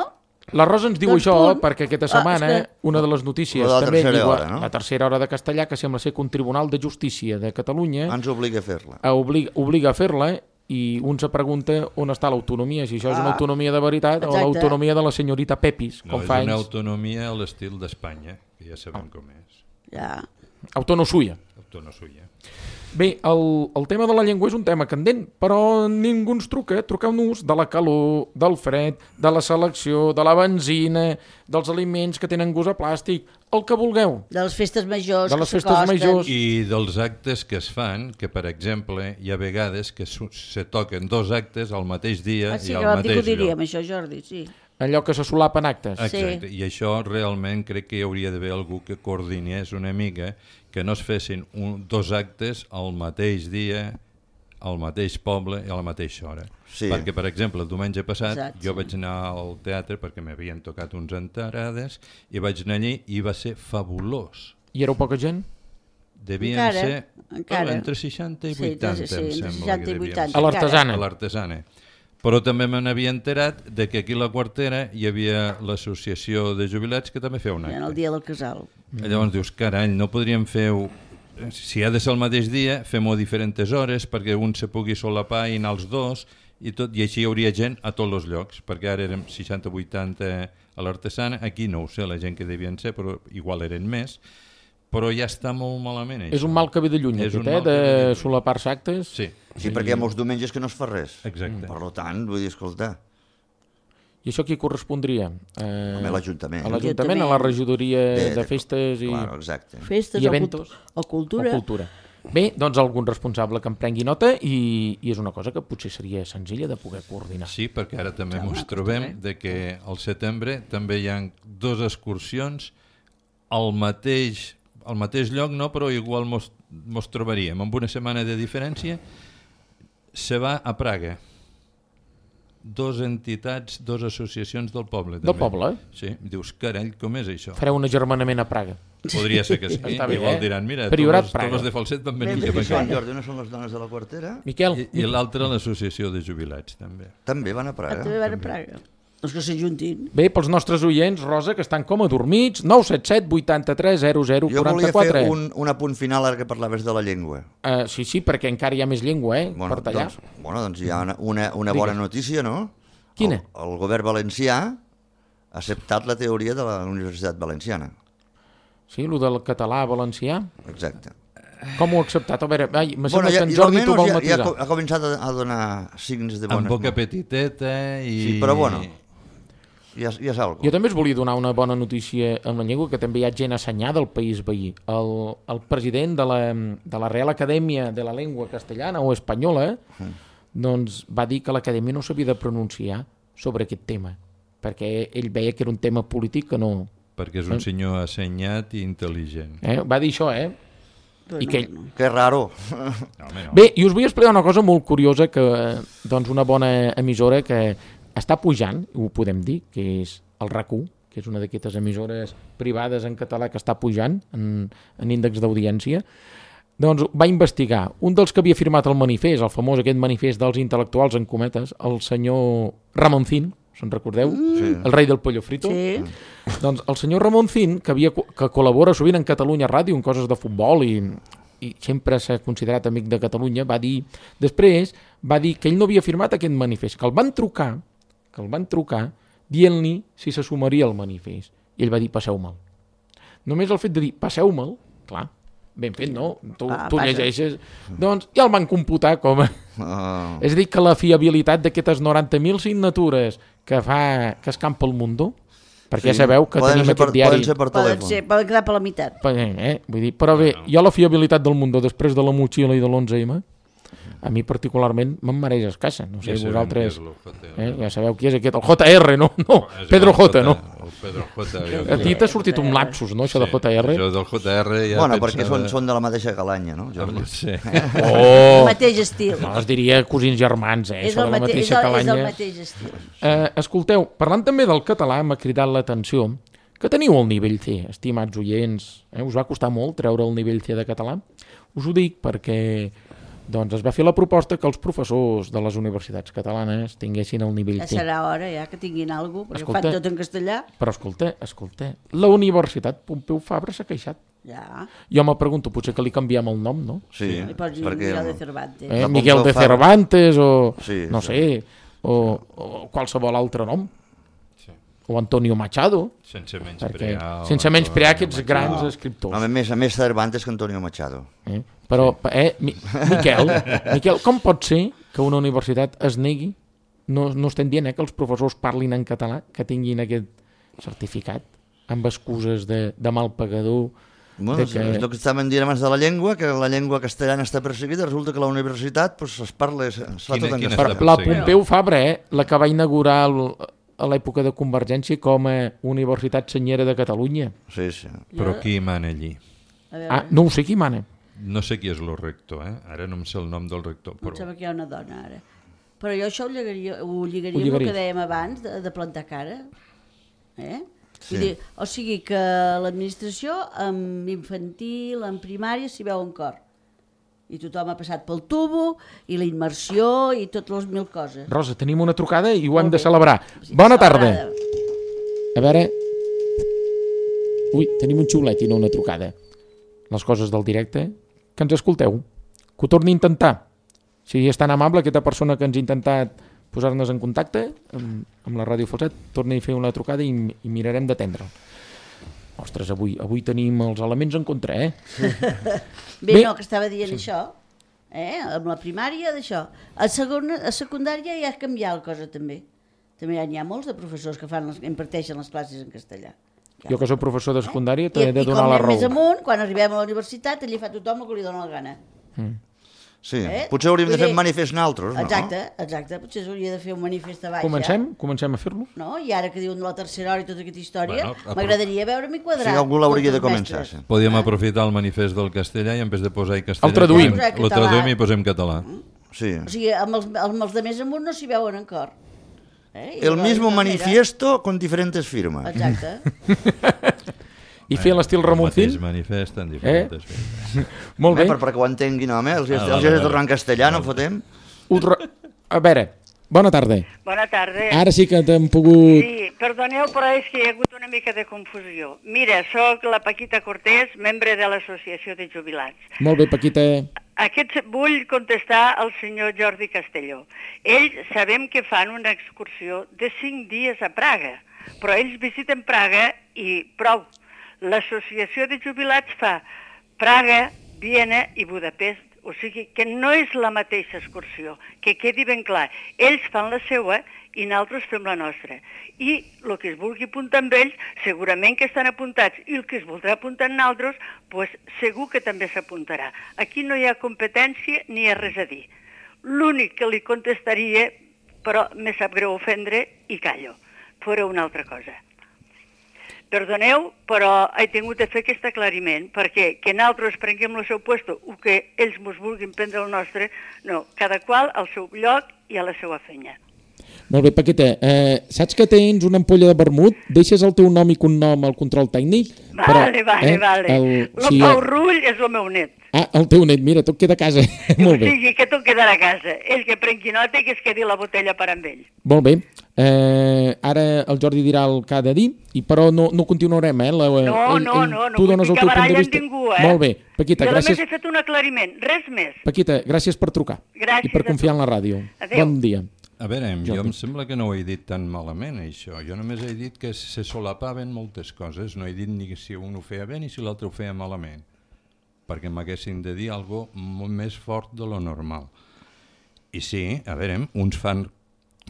La Rosa ens diu Doncs això punt. perquè aquesta setmana és que- una de les notícies Lo de la també tercera diu hora, no? la tercera hora de castellà, que sembla ser que un tribunal de justícia de Catalunya Ens obliga a fer-la. obliga a fer-la, i un se pregunta on està l'autonomia, si això és una autonomia de veritat o exacte. l'autonomia de la senyorita Pepis, No, com és fa una anys. autonomia a l'estil d'Espanya, que ja sabem com és. Ja. Autonosuia. Autonosuia. Bé, el tema de la llengua és un tema candent, però ningú ens truca. Truqueu-nos de la calor, del fred, de la selecció, de la benzina, dels aliments que tenen gust a plàstic, el que vulgueu. De les festes majors De que les festes s'acosten. majors. I dels actes que es fan, que per exemple hi ha vegades que se toquen 2 actes al mateix dia Sí, i que al vam dir que ho mateix diríem, lloc. això, Jordi, sí. Allò que se solapen actes. Exacte, i això realment crec que hi hauria d'haver algú que coordinés una mica, que no es fessin 2 actes al mateix dia, al mateix poble i a la mateixa hora. Sí. Perquè, per exemple, el diumenge passat Exacte, jo vaig anar al teatre perquè m'havien tocat uns entrades i vaig anar allí i va ser fabulós. I éreu poca gent? Devien Encara, ser encara. entre 60 i Sí, 80, sí, em entre sembla 60 que i devien 80. ser. A l'artesana. A l'artesana. Però també me n'havia enterat de que aquí a la Quartera hi havia l'associació de jubilats que també feia un En el acte. dia del casal. Llavors dius, carall, no podríem fer... Si ha de ser el mateix dia, fem-ho a diferents hores perquè un se pugui solapar i anar els dos i així hi hauria gent a tots els llocs, perquè ara érem 60-80 a l'artesana, aquí no ho sé, la gent que devien ser, però igual eren més, però ja està molt malament això. És un mal que ve de lluny, És aquest, un mal que ve de de lluny. solapar-se actes. Sí, Sí, perquè hi ha molts diumenges que no es fa res. exacte. Per tant, vull dir, escolta, I això qui correspondria? a l'Ajuntament. A l'Ajuntament, a la regidoria de de- festes i, Claro, exacte. Festes i o eventos. o cultura. O cultura. Bé, doncs algun responsable que en prengui nota i és una cosa que potser seria senzilla de poder coordinar. Sí, perquè ara també Home, ens trobem de que al setembre també hi ha 2 excursions al mateix lloc, no, però igual mos trobaríem amb una setmana de diferència. Se va a Praga. 2 entitats, 2 associacions del poble. Del també. poble? Sí, dius, carall, com és això? Fareu un agermanament a Praga. Podria ser que sí. Està bé, Igual diran, mira, Priorat tots Praga. els de Falset van venir Ben cap bé, aquí. Són, Jordi, no són les dones de la Quartera? Miquel, I l'altra l'associació de jubilats, també. També van a Praga. També van a Praga. Els que s'ajuntin. bé, pels nostres oients, Rosa, que estan com adormits, 977 83 00 Jo volia 44. fer un apunt final ara que parlaves de la llengua. Sí, perquè encara hi ha més llengua, per tallar. Doncs hi ha una bona notícia, no? Quina? El govern valencià ha acceptat la teoria de la Universitat Valenciana. Sí, el del català valencià. Exacte. Com ho ha acceptat? A veure, me sembla que en i Jordi t'ho vol almenys ja matisar. ha començat a donar signes de bones... Amb boca petiteta i... Sí, però bueno, ja és algo. Jo també us volia donar una bona notícia amb la llengua, que també hi ha gent assenyada del país veí. El president de la Real Acadèmia de la Llengua Castellana o Espanyola doncs va dir que l'Acadèmia no s'havia de pronunciar sobre aquest tema, perquè ell veia que era un tema polític que no... Perquè és un senyor assenyat i intel·ligent. Va dir això, Però I no, que... no. Que raro. No, home, no. Bé, i us vull explicar una cosa molt curiosa, que doncs una bona emissora que està pujant, ho podem dir, que és el RAC1, que és una d'aquestes emissores privades en català que està pujant en índex d'audiència, doncs va investigar. Un dels que havia firmat el manifest, el famós aquest manifest dels intel·lectuals en cometes, el senyor Ramoncín, se'n recordeu? Sí. El rei del pollo frito. Sí. Doncs el senyor Ramoncín, que col·labora sovint en Catalunya Ràdio en coses de futbol i sempre s'ha considerat amic de Catalunya, va dir que ell no havia firmat aquest manifest, que el van trucar dient-li si se sumaria al manifest. I ell va dir, passeu-me'l. Només el fet de dir, passeu-me'l, clar, ben fet, no? Tu llegeixes. Doncs ja el van computar com a... És a dir, que la fiabilitat d'aquestes 90.000 signatures que escampa el Mundo, perquè ja sabeu que tenim aquest diari... Poden ser per telèfon. Poden quedar per la meitat. Vull dir, però bé, jo la fiabilitat del Mundo després de la motxilla i de l'11M, a mi particularment me'n mereix escassa. No sé, vosaltres... Ja sabeu qui és aquest, el JR, no? Pedro J, no? El Pedro J. A ti t'ha sortit un lapsus, no, això de JR? Això del JR ja Bueno, perquè són de la mateixa galanya, no, Jordi? Sí. El mateix estil. No, es diria cosins germans, És això de la mateixa el calanya. mateix estil. Escolteu, parlant també del català, m'ha cridat l'atenció que teniu el nivell C, estimats oients. Us va costar molt treure el nivell C de català? Us ho dic perquè doncs es va fer la proposta que els professors de les universitats catalanes tinguessin el nivell Ja C. serà hora, ja, que tinguin alguna cosa, perquè Escolta. fan tot en castellà. Però escolta, la Universitat Pompeu Fabra s'ha queixat. Ja. Jo me pregunto, potser que li canviem el nom, no? Sí, Li pots dir perquè... Miguel de Cervantes. La Miguel de Pompeu Fabra. Cervantes o Sí, no sé, o qualsevol altre nom. O Antonio Machado, Sense perquè, sense menysprear aquests grans escriptors. A més Cervantes que Antonio Machado. Però, Miquel, com pot ser que una universitat es negui, no estem dient que els professors parlin en català, que tinguin aquest certificat, amb excuses de mal pagador? Bueno, és el que estàvem dient abans de la llengua, que la llengua castellana està perseguida, resulta que la universitat pues, es fa tot en castellà. La Pompeu Fabra, la que va inaugurar a l'època de Convergència com a Universitat Senyera de Catalunya. Sí, sí. Però qui mana allí? No ho sé qui mana. No sé qui és el rector, Ara no em sé el nom del rector. Em sembla que hi ha una dona, ara. Però jo això ho lligaria amb el que dèiem abans, de plantar cara. Vull dir, o sigui que l'administració, amb infantil, en primària, s'hi veu en cor. I tothom ha passat pel tubo, i la immersió, i totes les mil coses. Rosa, tenim una trucada i ho hem de celebrar. Bona tarda. A veure... Ui, tenim un xiulet i no una trucada. Les coses del directe. Que ens escolteu. Que ho torni a intentar. Si és tan amable aquesta persona que ens ha intentat posar-nos en contacte amb la Ràdio Falset, torni a fer una trucada i mirarem d'atendre'l. Ostres, avui tenim els elements en contra, Bé, no, que estava dient això, amb la primària d'això. A secundària ja ha canviat la cosa també. També n'hi ha molts de professors que imparteixen les classes en castellà. Jo que soc professor de secundària t'he de donar la raó. I com més amunt, quan arribem a la universitat, allí fa tothom el que li dona la gana. Sí, potser hauríem de fer un manifest nosaltres, no? Exacte, potser s'hauria de fer un manifest a baix. Comencem a fer-lo? No? I ara que diuen la tercera hora i tota aquesta història, m'agradaria veure-m'hi quadrar. Sí, algú l'hauria de començar. Podíem aprofitar el manifest del castellà i en vez de posar castellà... El traduïm. El traduïm i posem català. Sí. O sigui, amb els de més amunt no s'hi veuen en cor. El mismo manifiesto con diferentes firmas. Exacte. I fer l'estil Ramoncín? El mateix manifest en diferents firmes. Molt bé. Perquè ho entenguin, home, els has de tornar en castellà, no fotem? A veure, bona tarda. Bona tarda. Ara sí que t'hem pogut... Sí, perdoneu, però és que hi ha hagut una mica de confusió. Mira, sóc la Paquita Cortés, membre de l'Associació de Jubilats. Molt bé, Paquita. Vull contestar al senyor Jordi Castelló. Ells sabem que fan una excursió de 5 dies a Praga, però ells visiten Praga i prou. L'associació de jubilats fa Praga, Viena i Budapest, o sigui que no és la mateixa excursió, que quedi ben clar. Ells fan la seva i nosaltres fem la nostra. I el que es vulgui apuntar amb ells, segurament que estan apuntats, i el que es voldrà apuntar amb nosaltres, pues, segur que també s'apuntarà. Aquí no hi ha competència ni hi ha res a dir. L'únic que li contestaria, però me sap greu ofendre, i callo, fora una altra cosa. Perdoneu, però he tingut de fer aquest aclariment, perquè que nosaltres prenguem el seu puesto o que ells mos vulguin prendre el nostre, no, cada qual al seu lloc i a la seva feina. Molt bé, Paqueta, saps que tens una ampolla de vermut? Deixes el teu nom i cognom al control tècnic? Vale. El Pau Rull és el meu net. Ah, el teu net, mira, tot queda a casa. Molt bé. O sigui, que tot quedarà a casa. Ell que prengui nota i que es quedi la botella per amb ell. Molt bé. Ara el Jordi dirà el que ha de dir, però no continuarem, No vull ficar baralla amb ningú, Molt bé, Paquita, gràcies. I a més he fet un aclariment, res més. Paquita, gràcies per trucar. Gràcies i per confiar en la ràdio. Adéu. Bon dia. A veure, jo em sembla que no ho he dit tan malament, això. Jo només he dit que se solapaven moltes coses. No he dit ni si un ho feia bé ni si l'altre ho feia malament, perquè m'haguessin de dir alguna cosa molt més fort de lo normal. I sí, a veure, uns fan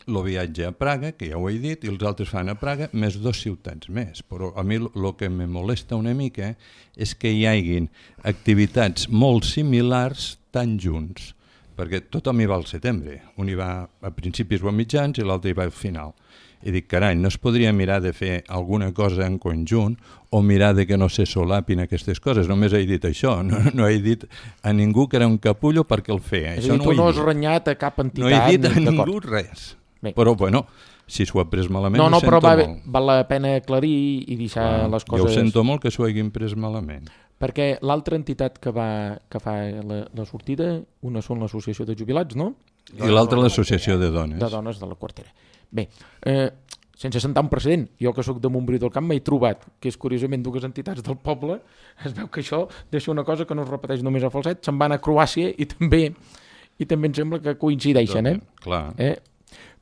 el viatge a Praga, que ja ho he dit, i els altres fan a Praga, més 2 ciutats més. Però a mi el que me molesta una mica és que hi haguin activitats molt similars tan junts, perquè tothom hi va al setembre. Un hi va a principis o a mitjans i l'altre hi va al final. I dic, carai, no es podria mirar de fer alguna cosa en conjunt o mirar de que no se solapin aquestes coses. Només he dit això, no he dit a ningú que era un capullo perquè el feia. És a dir, tu no has renyat a cap entitat. No he dit a ningú res. Bé. Però, bueno, si s'ho ha pres malament, ho sento però molt. Val la pena aclarir i deixar les coses... Jo ho sento molt que s'ho hagin pres malament. Perquè l'altra entitat que fa la sortida, una són l'associació de jubilats, no? I l'altra l'associació de dones. De dones de la quartera. Bé, sense sentar un precedent, jo que sóc de Montbrió del Camp m'he trobat que és curiosament 2 entitats del poble, es veu que això deixa una cosa que no es repeteix només a Falset, se'n van a Croàcia i també em sembla que coincideixen, Clar.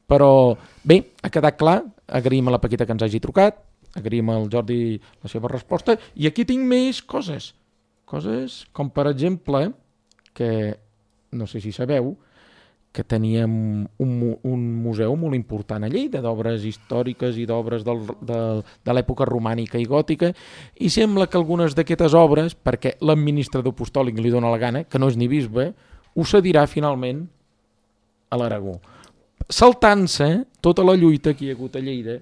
Però bé, ha quedat clar, agraïm a la Paquita que ens hagi trucat, agraïm al Jordi la seva resposta, i aquí tinc més coses com per exemple que, no sé si sabeu, que teníem un museu molt important a Lleida d'obres històriques i d'obres de l'època romànica i gòtica, i sembla que algunes d'aquestes obres, perquè l'administrador apostòlic li dona la gana, que no és ni bisbe, ho cedirà finalment a l'Aragó, saltant-se tota la lluita que hi ha hagut a Lleida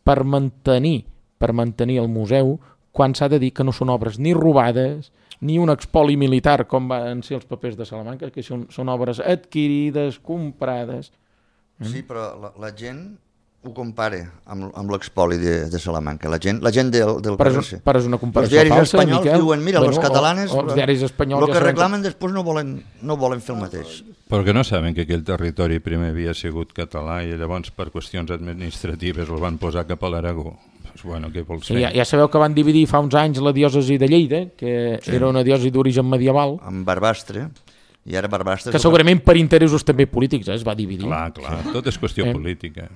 per mantenir el museu, quan s'ha de dir que no són obres ni robades ni un expoli militar com van ser els papers de Salamanca, que són obres adquirides, comprades. Sí, però la gent ho compara amb l'expoli de Salamanca. La gent del però és una comparació falsa, Miquel. Els diaris espanyols Miquel, diuen, mira, els catalanes els diaris espanyols el que reclamen després no volen fer el mateix. Perquè no saben que aquell territori primer havia sigut català i llavors per qüestions administratives el van posar cap a l'Aragó. Bueno, què vols fer? Ja sabeu que van dividir fa uns anys la diòcesi de Lleida, que era una diòcesi d'origen medieval. Amb Barbastre, i ara Barbastre... Que segurament per interessos també polítics es va dividir. Clar, tot és qüestió política.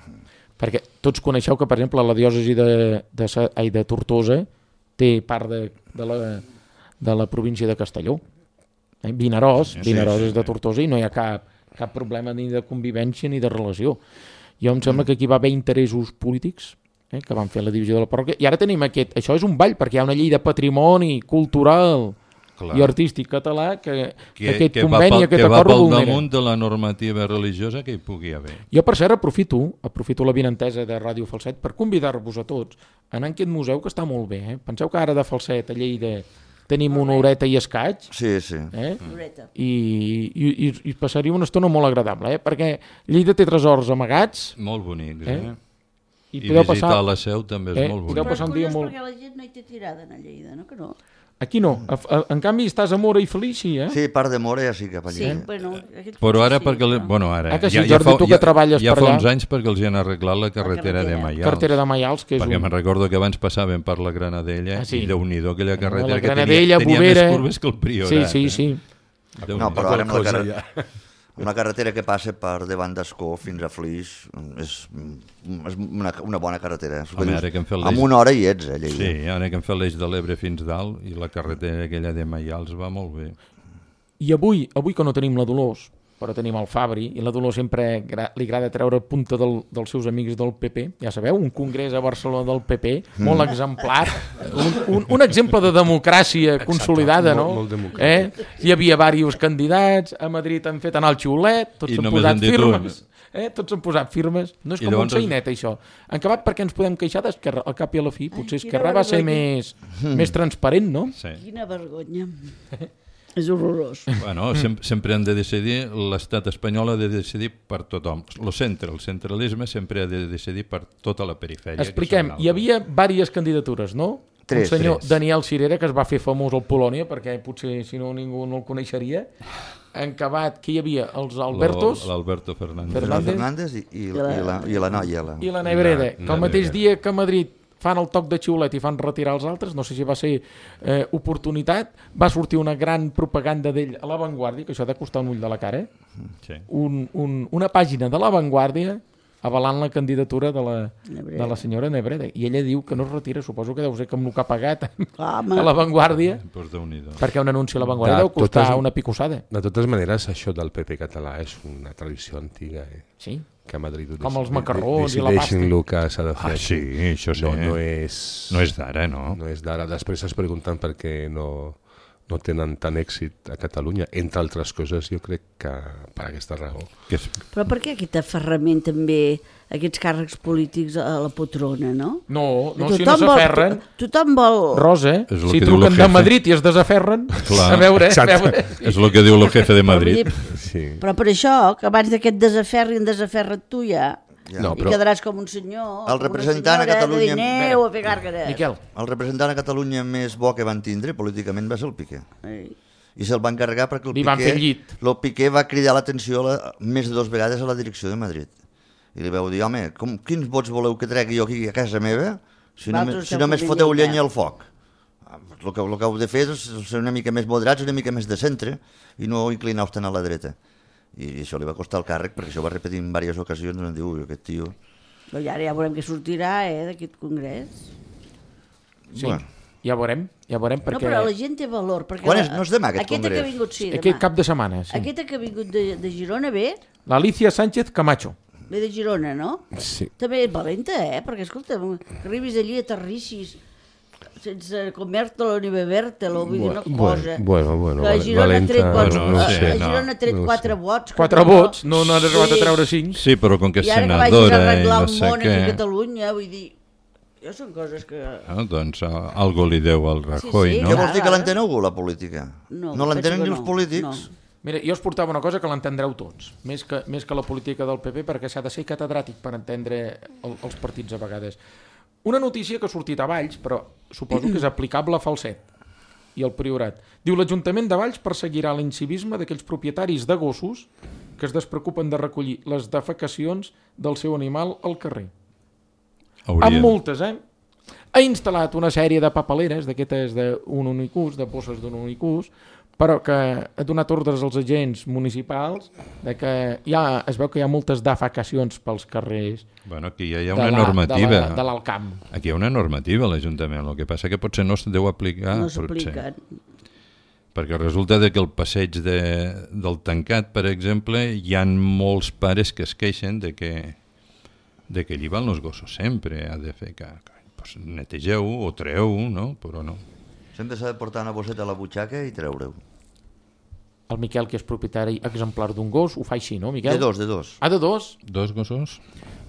Perquè tots coneixeu que, per exemple, la diòcesi de Tortosa té part de la província de Castelló. Vinaròs és de Tortosa i no hi ha cap problema ni de convivència ni de relació. Jo em sembla que aquí va haver interessos polítics que van fer la divisió de la parròquia, i ara tenim això és un ball, perquè hi ha una llei de patrimoni cultural i artístic català que aquest conveni, aquest acord va pel vulnera. damunt de la normativa religiosa que hi pugui haver. Jo, per cert, aprofito la vinentesa de Ràdio Falset per convidar-vos a tots a anar a aquest museu, que està molt bé. Penseu que ara de Falset a Lleida tenim una horeta i escaig. Sí. I passaria una estona molt agradable, perquè Lleida té tresors amagats. Molt bonics, I visitar la Seu també és molt bonic. Però és curiós perquè la gent no hi té tirada a Lleida, no? Que no? Aquí no. En canvi estàs a Mora i Feliç, Sí, part de Mora ja sí cap allà. Però ara perquè... Bueno, ara... Jordi, tu que treballes per allà. Ja fa uns anys perquè els hi han arreglat la carretera de Maials. Carretera de Maials, que és perquè me'n recordo que abans passaven per la Granadella i Déu-n'hi-do aquella carretera que tenia més curves que el Priorat. Sí. No, però ara una carretera que passa per davant d'Ascó fins a Flix és una bona carretera. Amb una hora hi ets, Lleida. Sí, ara que hem fet l'eix de l'Ebre fins dalt i la carretera aquella de Maials va molt bé. I avui que no tenim la Dolors, però tenim el Fabri, i la Dolors sempre li agrada treure punta dels seus amics del PP, ja sabeu, un congrés a Barcelona del PP, molt exemplar, un exemple de democràcia consolidada, no? Molt democràtic. Hi havia diversos candidats, a Madrid han fet anar el xiulet, tots s'han posat firmes. Tots han posat firmes, no és com un sainet això. En acabat, perquè ens podem queixar d'Esquerra, al cap i a la fi, potser Esquerra va ser més transparent, no? Quina vergonya. És horrorós. Bueno, sempre han de decidir, l'estat espanyol ha de decidir per tothom. El centralisme sempre ha de decidir per tota la perifèria. Expliquem, hi havia diverses candidatures, no? Tres. Un senyor Daniel Cirera, que es va fer famós al Polònia, perquè potser si no ningú no el coneixeria. En acabat, que hi havia els Albertos, l'Alberto Fernández. Fernández i la noia. i la Nebreda, que el mateix dia que a Madrid fan el toc de xiulet i fan retirar els altres, no sé si va ser oportunitat, va sortir una gran propaganda d'ell a La Vanguardia, que això ha de costar un ull de la cara, Sí. una pàgina de La Vanguardia avalant la candidatura de la senyora Nebreda. I ella diu que no es retira, suposo que deu ser que amb el que ha pagat a La Vanguardia, Pues Déu-n'hi-do. perquè un anunci a La Vanguardia deu costar una picossada. De totes maneres, això del PP català és una tradició antiga, Sí. que a Madrid Com els macarrons i la pasta. decideixin el que s'ha de fer. Sí, això sí. No és d'ara, no? No és d'ara. Després es pregunten per què no tenen tant èxit a Catalunya. Entre altres coses, jo crec que per aquesta raó. Però per què aquest aferrament també, aquests càrrecs polítics a la poltrona, no? No, si no s'aferren... Tothom vol... Rosa, És el si que diu truquen el de jefe. Madrid i es desaferren, Clar. a veure... És el que diu el jefe de Madrid. Sí. Però per això, que abans d'aquest desaferra't tu ja, No, i quedaràs com un senyor, El com una representant a senyora, Catalunya- de dineu a fer gàrgares. Miquel, El representant a Catalunya més bo que van tindre políticament va ser el Piqué. Ei. I se'l van carregar perquè Li van fer llit. el Piqué va cridar l'atenció més de 2 vegades a la direcció de Madrid. I li vau dir, home, quins vots voleu que tregui jo aquí a casa meva si Vosaltres només esteu foteu convenient, llenya al foc? El que heu de fer és ser una mica més moderats, una mica més de centre i no inclinar-vos tant a la dreta. I això li va costar el càrrec perquè això va repetir en diverses ocasions, em diu, aquest tio... Però ara ja veurem què sortirà, d'aquest congrés. sí, Bueno. ja veurem, perquè... No, però la gent té valor. Perquè Quan és? No és demà, aquest que ha congrés? vingut, sí, demà. Aquest cap de setmana, sí. Aquesta que ha vingut de Girona ve L'Alicia Sánchez Camacho. de Girona, no? Sí. També és valenta, perquè, escolta, que arribis allí, aterrissis, sense comer-te-lo ni beber-te-lo, vull dir una cosa. Bueno, Que a Girona ha tret, valenta, no ho a sé, Girona ha tret no ho 4 sé. vots. que 4 vots, no n'ha arribat a treure 5. Sí, però com que és I ara que vagis a senadora i arreglar no el sé món aquí a què... Catalunya, vull dir, jo són coses que... Doncs algo li deu al Rajoy, Sí, sí, no? Què clar. vols dir que l'entén algú, la política? No, No l'entenen penso ni que els no, polítics? Mira, jo us portava una cosa que l'entendreu tots, més que la política del PP, perquè s'ha de ser catedràtic per entendre els partits a vegades. Una notícia que ha sortit a Valls, però suposo que és aplicable a Falset i al Priorat. Diu, l'Ajuntament de Valls perseguirà l'incivisme d'aquells propietaris de gossos que es despreocupen de recollir les defecacions del seu animal al carrer. Amb multes, Ha instal·lat una sèrie de papeleres, d'aquestes d'un únic ús, de bosses d'un únic ús, però que ha donat ordres als agents municipals de que es veu que hi ha moltes defecacions pels carrers. Bueno, aquí ja hi ha una normativa. De l'Alcamp. Aquí hi ha una normativa a l'Ajuntament, el que passa que potser no es deu aplicar. No s'apliquen. Perquè resulta que el passeig del Tancat, per exemple, hi ha molts pares que es queixen de que allí van els gossos sempre, ha de fer que pues, netegeu-ho o treu-ho, no? Però no. Sempre s'ha de portar una bosseta a la butxaca i treure-ho. El Miquel, que és propietari exemplar d'un gos, ho fa així, no, Miquel? De dos. Ah, de dos? 2 gossos?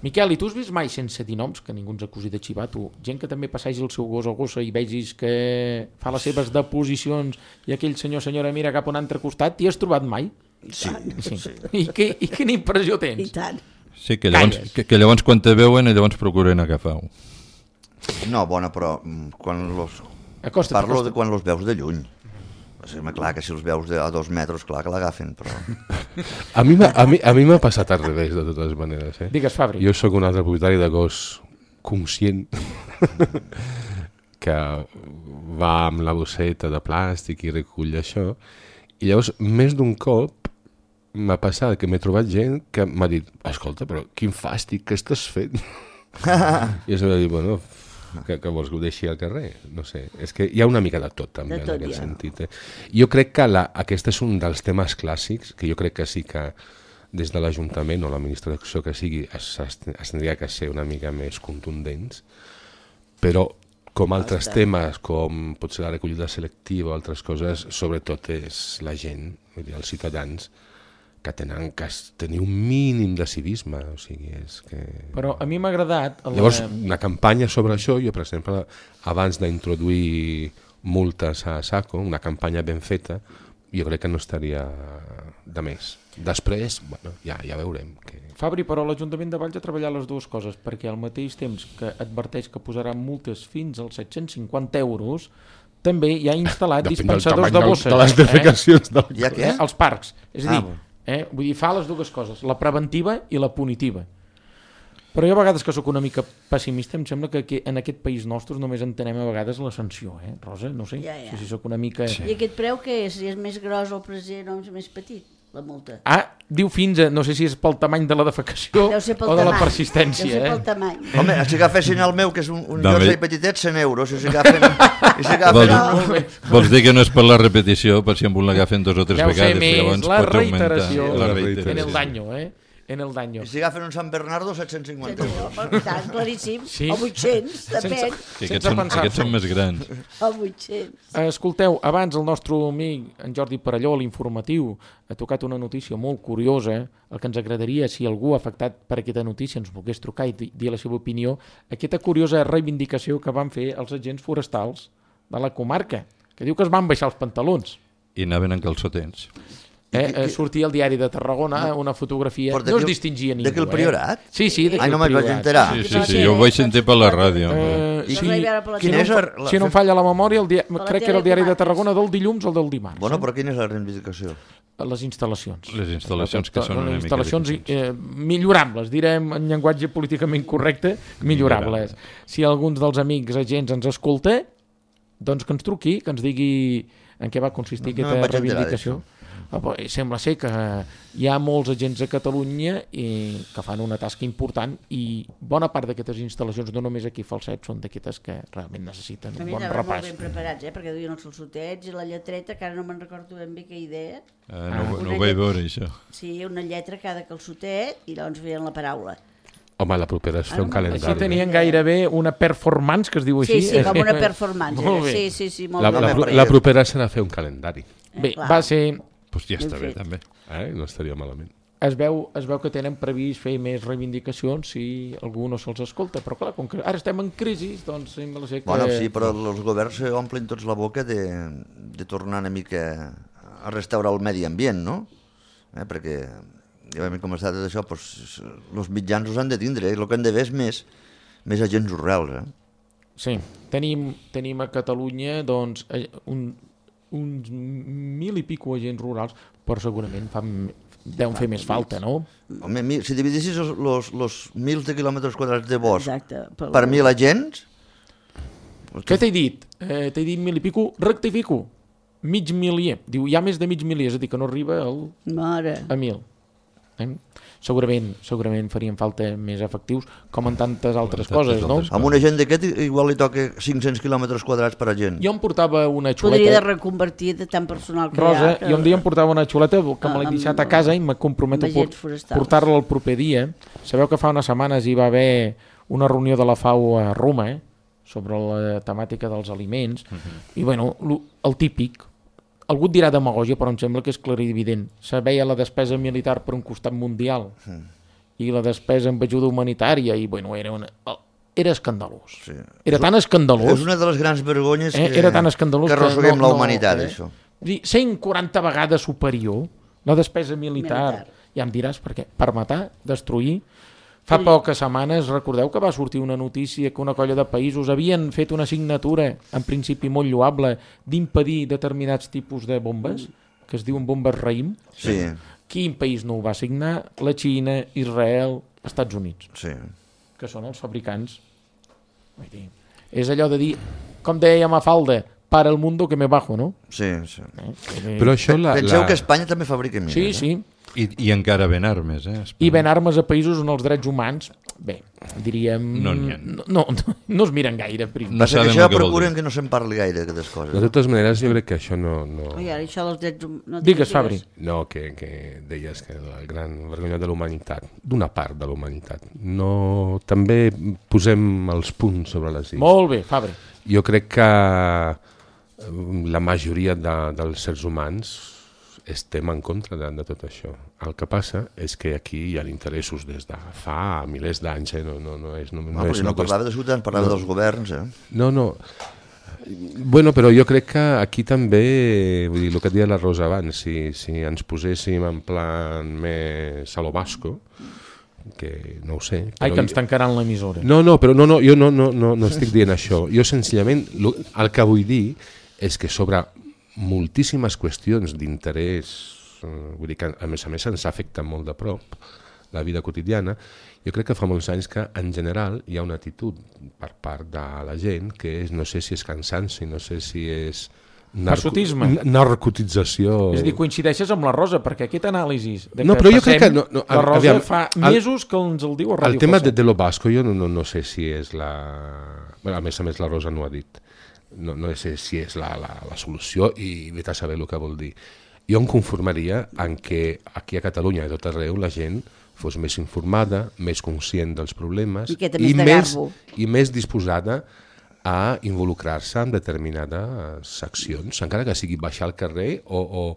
Miquel, i tu has vist mai, sense dir noms, que ningú ens acusi de xivato, gent que també passegi el seu gos o gossa i vegis que fa les seves deposicions i aquell senyora mira cap a un altre costat, t'hi has trobat mai? Sí. I quina impressió tens? I tant. Sí, que llavors quan te veuen, llavors procuren agafar-ho. No, bona, però Acosta't, parlo acosta't. de quan els veus de lluny. Sí, clar, que si els veus a 2 metres, clar que l'agafen, però... A mi m'ha passat al revés, de totes maneres. Digues, Fabri. Jo sóc un altre propietari de gos conscient que va amb la bosseta de plàstic i recull això. I llavors, més d'un cop, m'ha passat que m'he trobat gent que m'ha dit, escolta, però quin fàstic, què estàs fent? I jo m'he dit, bueno, que vols que ho deixi al carrer? No sé, és que hi ha una mica de tot també De tot, en aquest ja. sentit. Jo crec que aquest és un dels temes clàssics que jo crec que sí que des de l'Ajuntament o l'administració que sigui es tindria que ser una mica més contundents, però com altres temes, com pot ser la recollida selectiva o altres coses, sobretot és la gent, vull dir, els ciutadans, que tenen que tenir un mínim de civisme, o sigui, és que... Però a mi m'ha agradat... Llavors, una campanya sobre això, jo, per exemple, abans d'introduir multes a SACO, una campanya ben feta, jo crec que no estaria de més. Després, bueno, ja veurem. Fabri, però l'Ajuntament de Valls ha treballat les dues coses, perquè al mateix temps que adverteix que posaran multes fins als 750 euros, també hi ha instal·lat dispensadors de bosses. De les defecacions del Hi ha què? als parcs. És a dir, vull dir, fa les dues coses, la preventiva i la punitiva. Però jo a vegades que sóc una mica pessimista, em sembla que en aquest país nostre només entenem a vegades la sanció, Rosa? No sé, si sóc una mica... I aquest preu què és? Si és més gros el present o és més petit, la multa? Diu fins a, no sé si és pel tamany de la defecació o de la persistència. Deu ser pel tamany. Home, si agafessin el meu, que és un jersei petitet, 100 euros. Si agafen... Vols dir que no és per la repetició, per si amb un l'agafen 2 o 3 vegades? Ja ho sé més, la reiteració. En el daño, en el daño. I si agafen un Sant Bernardo, 750 euros. Tant, claríssim. Sí. O 800, depèn. Aquests són més grans. O 800. Escolteu, abans el nostre amic, en Jordi Parelló, l'informatiu, ha tocat una notícia molt curiosa. El que ens agradaria, si algú afectat per aquesta notícia ens volgués trucar i dir la seva opinió, aquesta curiosa reivindicació que van fer els agents forestals de la comarca, que diu que es van baixar els pantalons. I anaven en calçotets. Sortia al diari de Tarragona una fotografia, no es distingia ningú. D'aquí el Priorat? Sí, d'aquí el Priorat. Ai, no me'n vaig enterar. Sí, jo ho vaig sentir per la ràdio. Si no em falla la memòria, crec que era el diari de Tarragona del dilluns o del dimarts. Bueno, però quina és la reivindicació? Les instal·lacions. Les instal·lacions que són una mica instal·lacions millorables, direm en llenguatge políticament correcte, millorables. Si alguns dels amics agents ens escolta, doncs que ens truqui, que ens digui en què va consistir aquesta reivindicació. Sembla ser que hi ha molts agents a Catalunya que fan una tasca important i bona part d'aquestes instal·lacions, no només aquí Falset, són d'aquestes que realment necessiten un bon repàs. Molt ben preparats, perquè duien els calçotets i la lletreta, que ara no me'n recordo ben bé què idea. No ho vaig veure, això. Sí, una lletra a cada calçotet i llavors veien la paraula. Home, la propera és fer un calendari. Així tenien gairebé una performance, que es diu així. Sí, com una performance. Sí, molt bé. La propera serà fer un calendari. Bé, va ser... Doncs ja està bé, també. No estaria malament. Es veu que tenen previst fer més reivindicacions si algú no se'ls escolta, però clar, com que ara estem en crisi, doncs sembla ser que... Bueno, sí, però els governs omplen tots la boca de tornar una mica a restaurar el medi ambient, no? Perquè, ja vam començar tot això, els mitjans els han de tindre, el que han de ver és més agents rurals. Sí, tenim a Catalunya doncs, uns 1.000 i pico agents rurals, però segurament deuen fer més falta, no? Home, si dividissis els 1.000 de quilòmetres quadrats de bosc per 1.000 agents... Què t'he dit? T'he dit 1.000 i pico, rectifico. Mig milier. Diu, hi ha més de mig milier, és a dir, que no arriba a 1.000. Segurament farien falta més efectius, com en tantes altres coses, no? Amb un agent d'aquest igual li toca 500 quilòmetres quadrats per agent. Jo em portava una xuleta... Podria reconvertir de tant personal que Rosa, hi ha. Jo un dia em portava una xuleta que me l'he deixat a casa i me comprometo a portar-la el proper dia. Sabeu que fa unes setmanes hi va haver una reunió de la FAO a Roma sobre la temàtica dels aliments i bueno, el típic. Algú et dirà demagògia, però em sembla que és clarivident. Se veia la despesa militar per un costat mundial i la despesa en ajuda humanitària i bueno, era escandalós. Sí. Era tan escandalós. És una de les grans vergonyes que arrosseguem la humanitat, això. 140 vegades superior la despesa militar. Ja em diràs per què. Per matar, destruir. Fa poques setmanes, recordeu que va sortir una notícia que una colla de països havien fet una signatura, en principi molt lloable, d'impedir determinats tipus de bombes, que es diuen bombes raïm. Sí. Quin país no ho va signar? La Xina, Israel, Estats Units. Sí. Que són els fabricants. Vull dir, és allò de dir, com deia Mafalda, para el mundo que me bajo, no? Sí. Però això Penseu que Espanya també fabrica mines. Sí. I encara ven armes, I ven armes a països on els drets humans, bé, diríem... No es miren gaire. No sabem això procurem que no se'n parli gaire d'aquestes coses. De totes maneres, jo crec que això no... Això dels drets humans... Digues, Fabri. No, que deies que la gran vergonya de la humanitat, d'una part de la humanitat. No, també posem els punts sobre les is. Molt bé, Fabri. Jo crec que la majoria dels sérs humans estem en contra de tot això. El que passa és que aquí hi ha interessos des de fa milers d'anys. No és no parlava de ciutadans, parlava dels governs. No. Bueno, però jo crec que aquí també, vull dir, el que deia la Rosa abans, si ens poséssim en plan més salobasco, que no ho sé... Ai, que ens tancaran l'emissora. No, però jo no estic dient això. Jo senzillament el que vull dir és que sobre moltíssimes qüestions d'interès, vull dir que a més ens afecta molt de prop la vida quotidiana, jo crec que fa molts anys que en general hi ha una actitud per part de la gent que és, no sé si és cansanci, no sé si és... Passotisme. Narcotització. És a dir, coincideixes amb la Rosa, perquè aquest anàlisi de no, que però jo crec que la Rosa fa mesos que ens el diu a Ràdio El tema Facet. de lo basco jo no sé si és la... Bueno, a més la Rosa no ho ha dit. No sé si és la solució i vete a saber el que vol dir. Jo em conformaria en que aquí a Catalunya i tot arreu la gent fos més informada, més conscient dels problemes i més disposada a involucrar-se en determinades accions, encara que sigui baixar al carrer o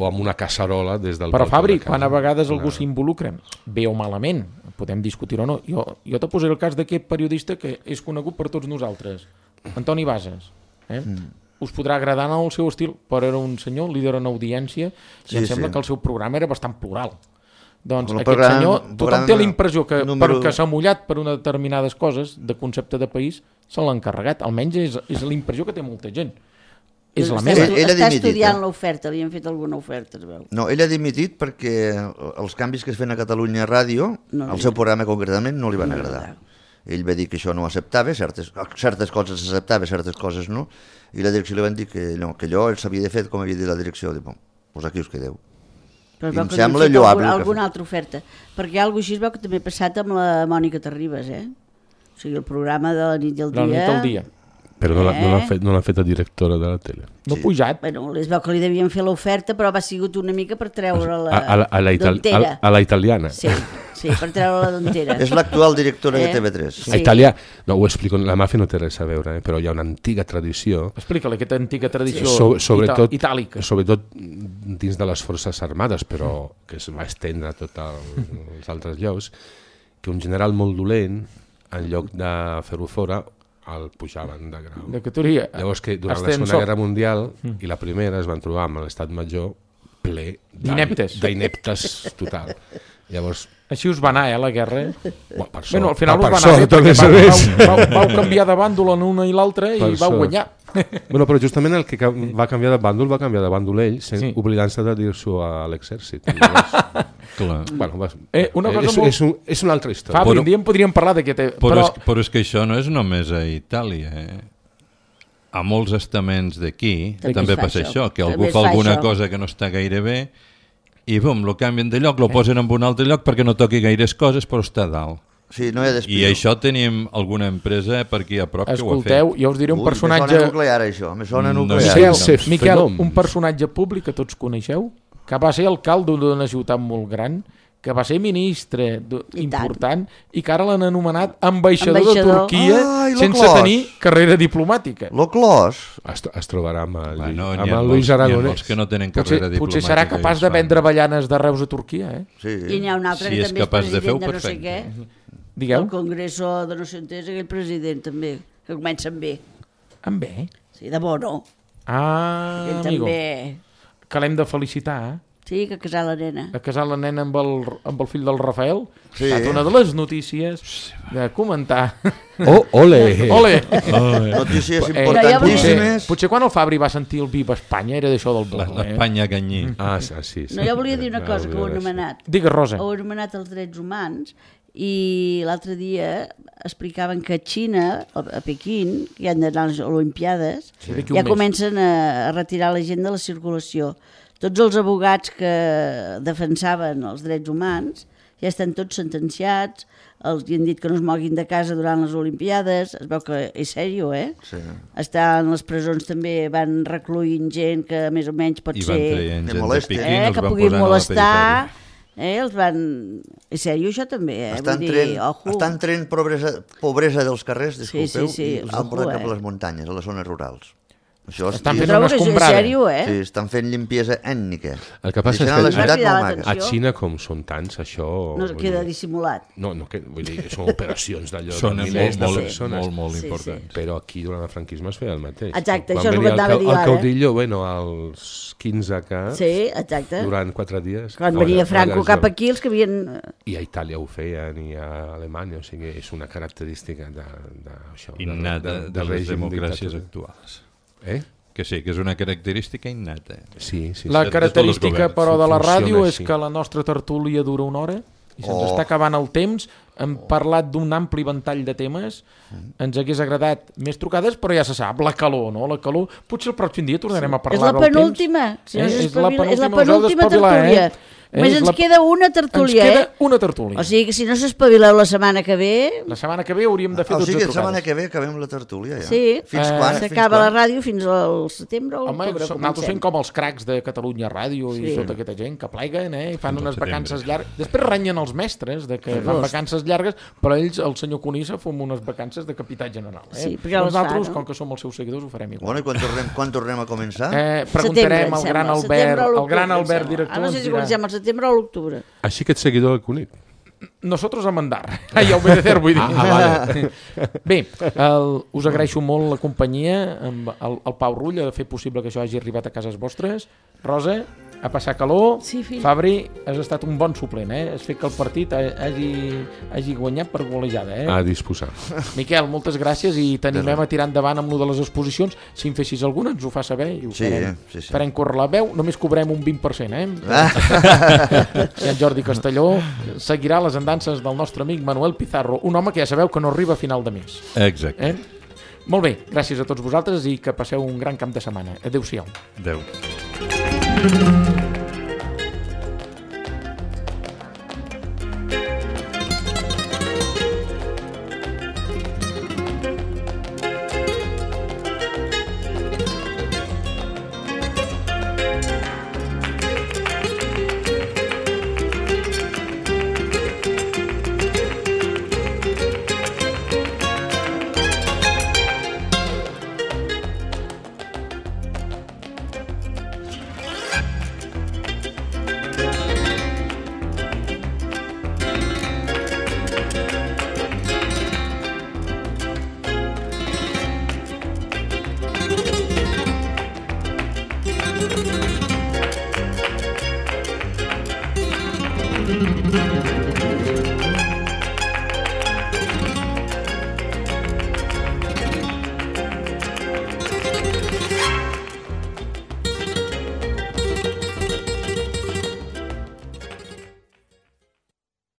amb una casserola des del... Però Fabri, quan a vegades algú s'involucra, bé o malament, podem discutir o no, jo te posaré el cas d'aquest periodista que és conegut per tots nosaltres, Antoni Bases. Us podrà agradar el seu estil, però era un senyor líder en audiència i em sembla que el seu programa era bastant plural. Doncs aquest senyor, tothom té la impressió que perquè s'ha mullat per unes determinades coses de concepte de país, se l'ha encarregat. Almenys és la impressió que té molta gent. És la meva. Està estudiant l'oferta, li han fet alguna oferta, es veu. No, ell ha dimitit perquè els canvis que es feien a Catalunya Ràdio, al seu programa concretament, no li van agradar. Ell va dir que això no ho acceptava, certes coses s'acceptava, certes coses no, i la direcció li van dir que no, que allò s'havia de fer com havia dit la direcció. Dic, doncs aquí us quedeu. Però em sembla lloable alguna altra oferta, perquè alguna així es veu que també ha passat amb la Mònica Terribas, o sigui, el programa de la nit i el dia. La nit i el dia. Però no l'ha fet a directora de la tele. No ha pujat. Bueno, es veu que li devien fer l'oferta, però va sigut una mica per treure-la d'ontera. A la italiana. Sí, per treure-la d'ontera. És l'actual directora de TV3. Sí. A Itàlia, no ho explico, la màfia no té res a veure, però hi ha una antiga tradició... Explica-li aquesta antiga tradició itàlica. Sobretot dins de les forces armades, però que es va estendre a tots els altres llocs, que un general molt dolent, en lloc de fer-ho fora, el pujaven de grau. De categoria. Llavors que durant la Segona Guerra Mundial i la Primera es van trobar amb l'estat major ple d'ineptes total. Llavors... Així us va anar, la guerra. Bueno, al final us va anar bé, perquè vau canviar de bàndol en una i l'altra i vau guanyar. Bueno, però justament el que va canviar de bàndol ell, oblidant-se de dir-s'ho a l'exèrcit. És una altra història. Fabri, un dia en podríem parlar d'aquest... Però és que això no és només a Itàlia, A molts estaments d'aquí també passa això, que algú fa alguna cosa que no està gaire bé i bum, lo canvien de lloc, lo posen en un altre lloc perquè no toqui gaires coses, però està dalt. Sí, no hi ha despido. I això tenim alguna empresa per aquí a prop que ho ha fet. Escolteu, jo us diré un personatge... Me sona nuclear, això. Me sona nuclear. Miquel, un personatge públic que tots coneixeu, que va ser alcalde d'una ciutat molt gran, que va ser ministre important i que ara l'han anomenat ambaixador de Turquia sense tenir carrera diplomàtica. Lo Clos. Es trobarà amb el Luis Aragonès. Que no tenen carrera diplomàtica. Potser serà capaç de vendre avellanes de Reus a Turquia, Sí. I n'hi ha un altre que també és president de no sé què. Digueu? El Congreso de no sé on és aquell president també, que comença amb B. Amb B? Sí, de Bono. Amigo. També. Que l'hem de felicitar, Sí, que casar la nena. A casar la nena amb el fill del Rafael. Ha estat una de les notícies de comentar. Ole! Notícies importantíssimes. Potser quan el Fabri va sentir el Viva Espanya era d'això del Bono. L'Espanya Ganyí. Sí. No, jo volia dir una cosa que ho he anomenat. Digues, Rosa. Ho he anomenat els drets humans i l'altre dia explicaven que a Xina, a Pequín, que hi han d'anar a les Olimpiades, ja comencen a retirar la gent de la circulació. Tots els abogats que defensaven els drets humans ja estan tots sentenciats, els han dit que no es moguin de casa durant les Olimpiades, es veu que és sèrio, Sí. Estan les presons també, van recluint gent que més o menys pot ser... I van traient gent de Pequín, els que van puguin posant molestar, els van... És sèrio això també, Estan traient pobresa dels carrers, disculpeu, sí, i els han portat cap a les muntanyes, a les zones rurals. Estan fent una escombrada. Sí, estan fent limpiesa ètnica. El que passa és la que ciutat molt maca. a Xina, com són tants, això... No queda dissimulat. No, vull dir, són operacions d'allò Són de milers de molt, persones. molt importants. Però aquí, durant el franquisme, es feia el mateix. Exacte, Quan això és el que venia anava a dir el ara. caudillo, bueno, als 15 caps, Sí, exacte. durant 4 dies... Quan venia Franco cap aquí, els que havien... I a Itàlia ho feien, i a Alemanya, o sigui, és una característica d'això. Innata de les democràcies actuals. Que sí, que és una característica innata. Sí. La característica, però, de la ràdio és així. que la nostra tertúlia dura una hora i se'ns està acabant el temps. Hem parlat d'un ampli ventall de temes. Ens hagués agradat més trucades, però ja se sap, la calor, no? La calor, potser el pròxim dia tornarem a parlar del temps. És la penúltima. Si no és la penúltima tertúlia. Només ens queda una tertúlia, Ens queda una tertúlia. O sigui que si no s'espavileu la setmana que ve... La setmana que ve hauríem de fer 12 trucades. O sigui, la setmana que ve acabem la tertúlia, ja. Sí, fins quan? S'acaba la ràdio fins al setembre o l'octubre. Home, nosaltres fem com els cracs de Catalunya Ràdio i tota aquesta gent que pleguen, i fan unes vacances llargues. Després renyen els mestres de que fan vacances llargues, però ells, el senyor Conissa, fem unes vacances de capità general. Sí, perquè nosaltres, com que som els seus seguidors, ho farem igual. Bueno, i quan tornem a començar? Preguntarem al gran Albert, director. No sé si comencem al setembre o l'octubre. Així que ets seguidor del Cunit. Nosotros a mandar. I a obedecer, vull dir. Vale. Bé, us agraeixo molt la companyia, el Pau Rull, de fer possible que això hagi arribat a cases vostres. Rosa, a passar calor. Sí, fill. Fabri, has estat un bon suplent, Has fet que el partit hagi guanyat per golejada, A disposar. Miquel, moltes gràcies i t'animem a tirar endavant amb lo de les exposicions. Si en fessis alguna, ens ho fa saber i ho farem. Sí. Farem córrer la veu, només cobrem un 20%, I en Jordi Castelló seguirà les andances del nostre amic Manuel Pizarro, un home que ja sabeu que no arriba a final de mes. Exacte. Molt bé, gràcies a tots vosaltres i que passeu un gran camp de setmana. Adéu-siau. Adéu. Thank you.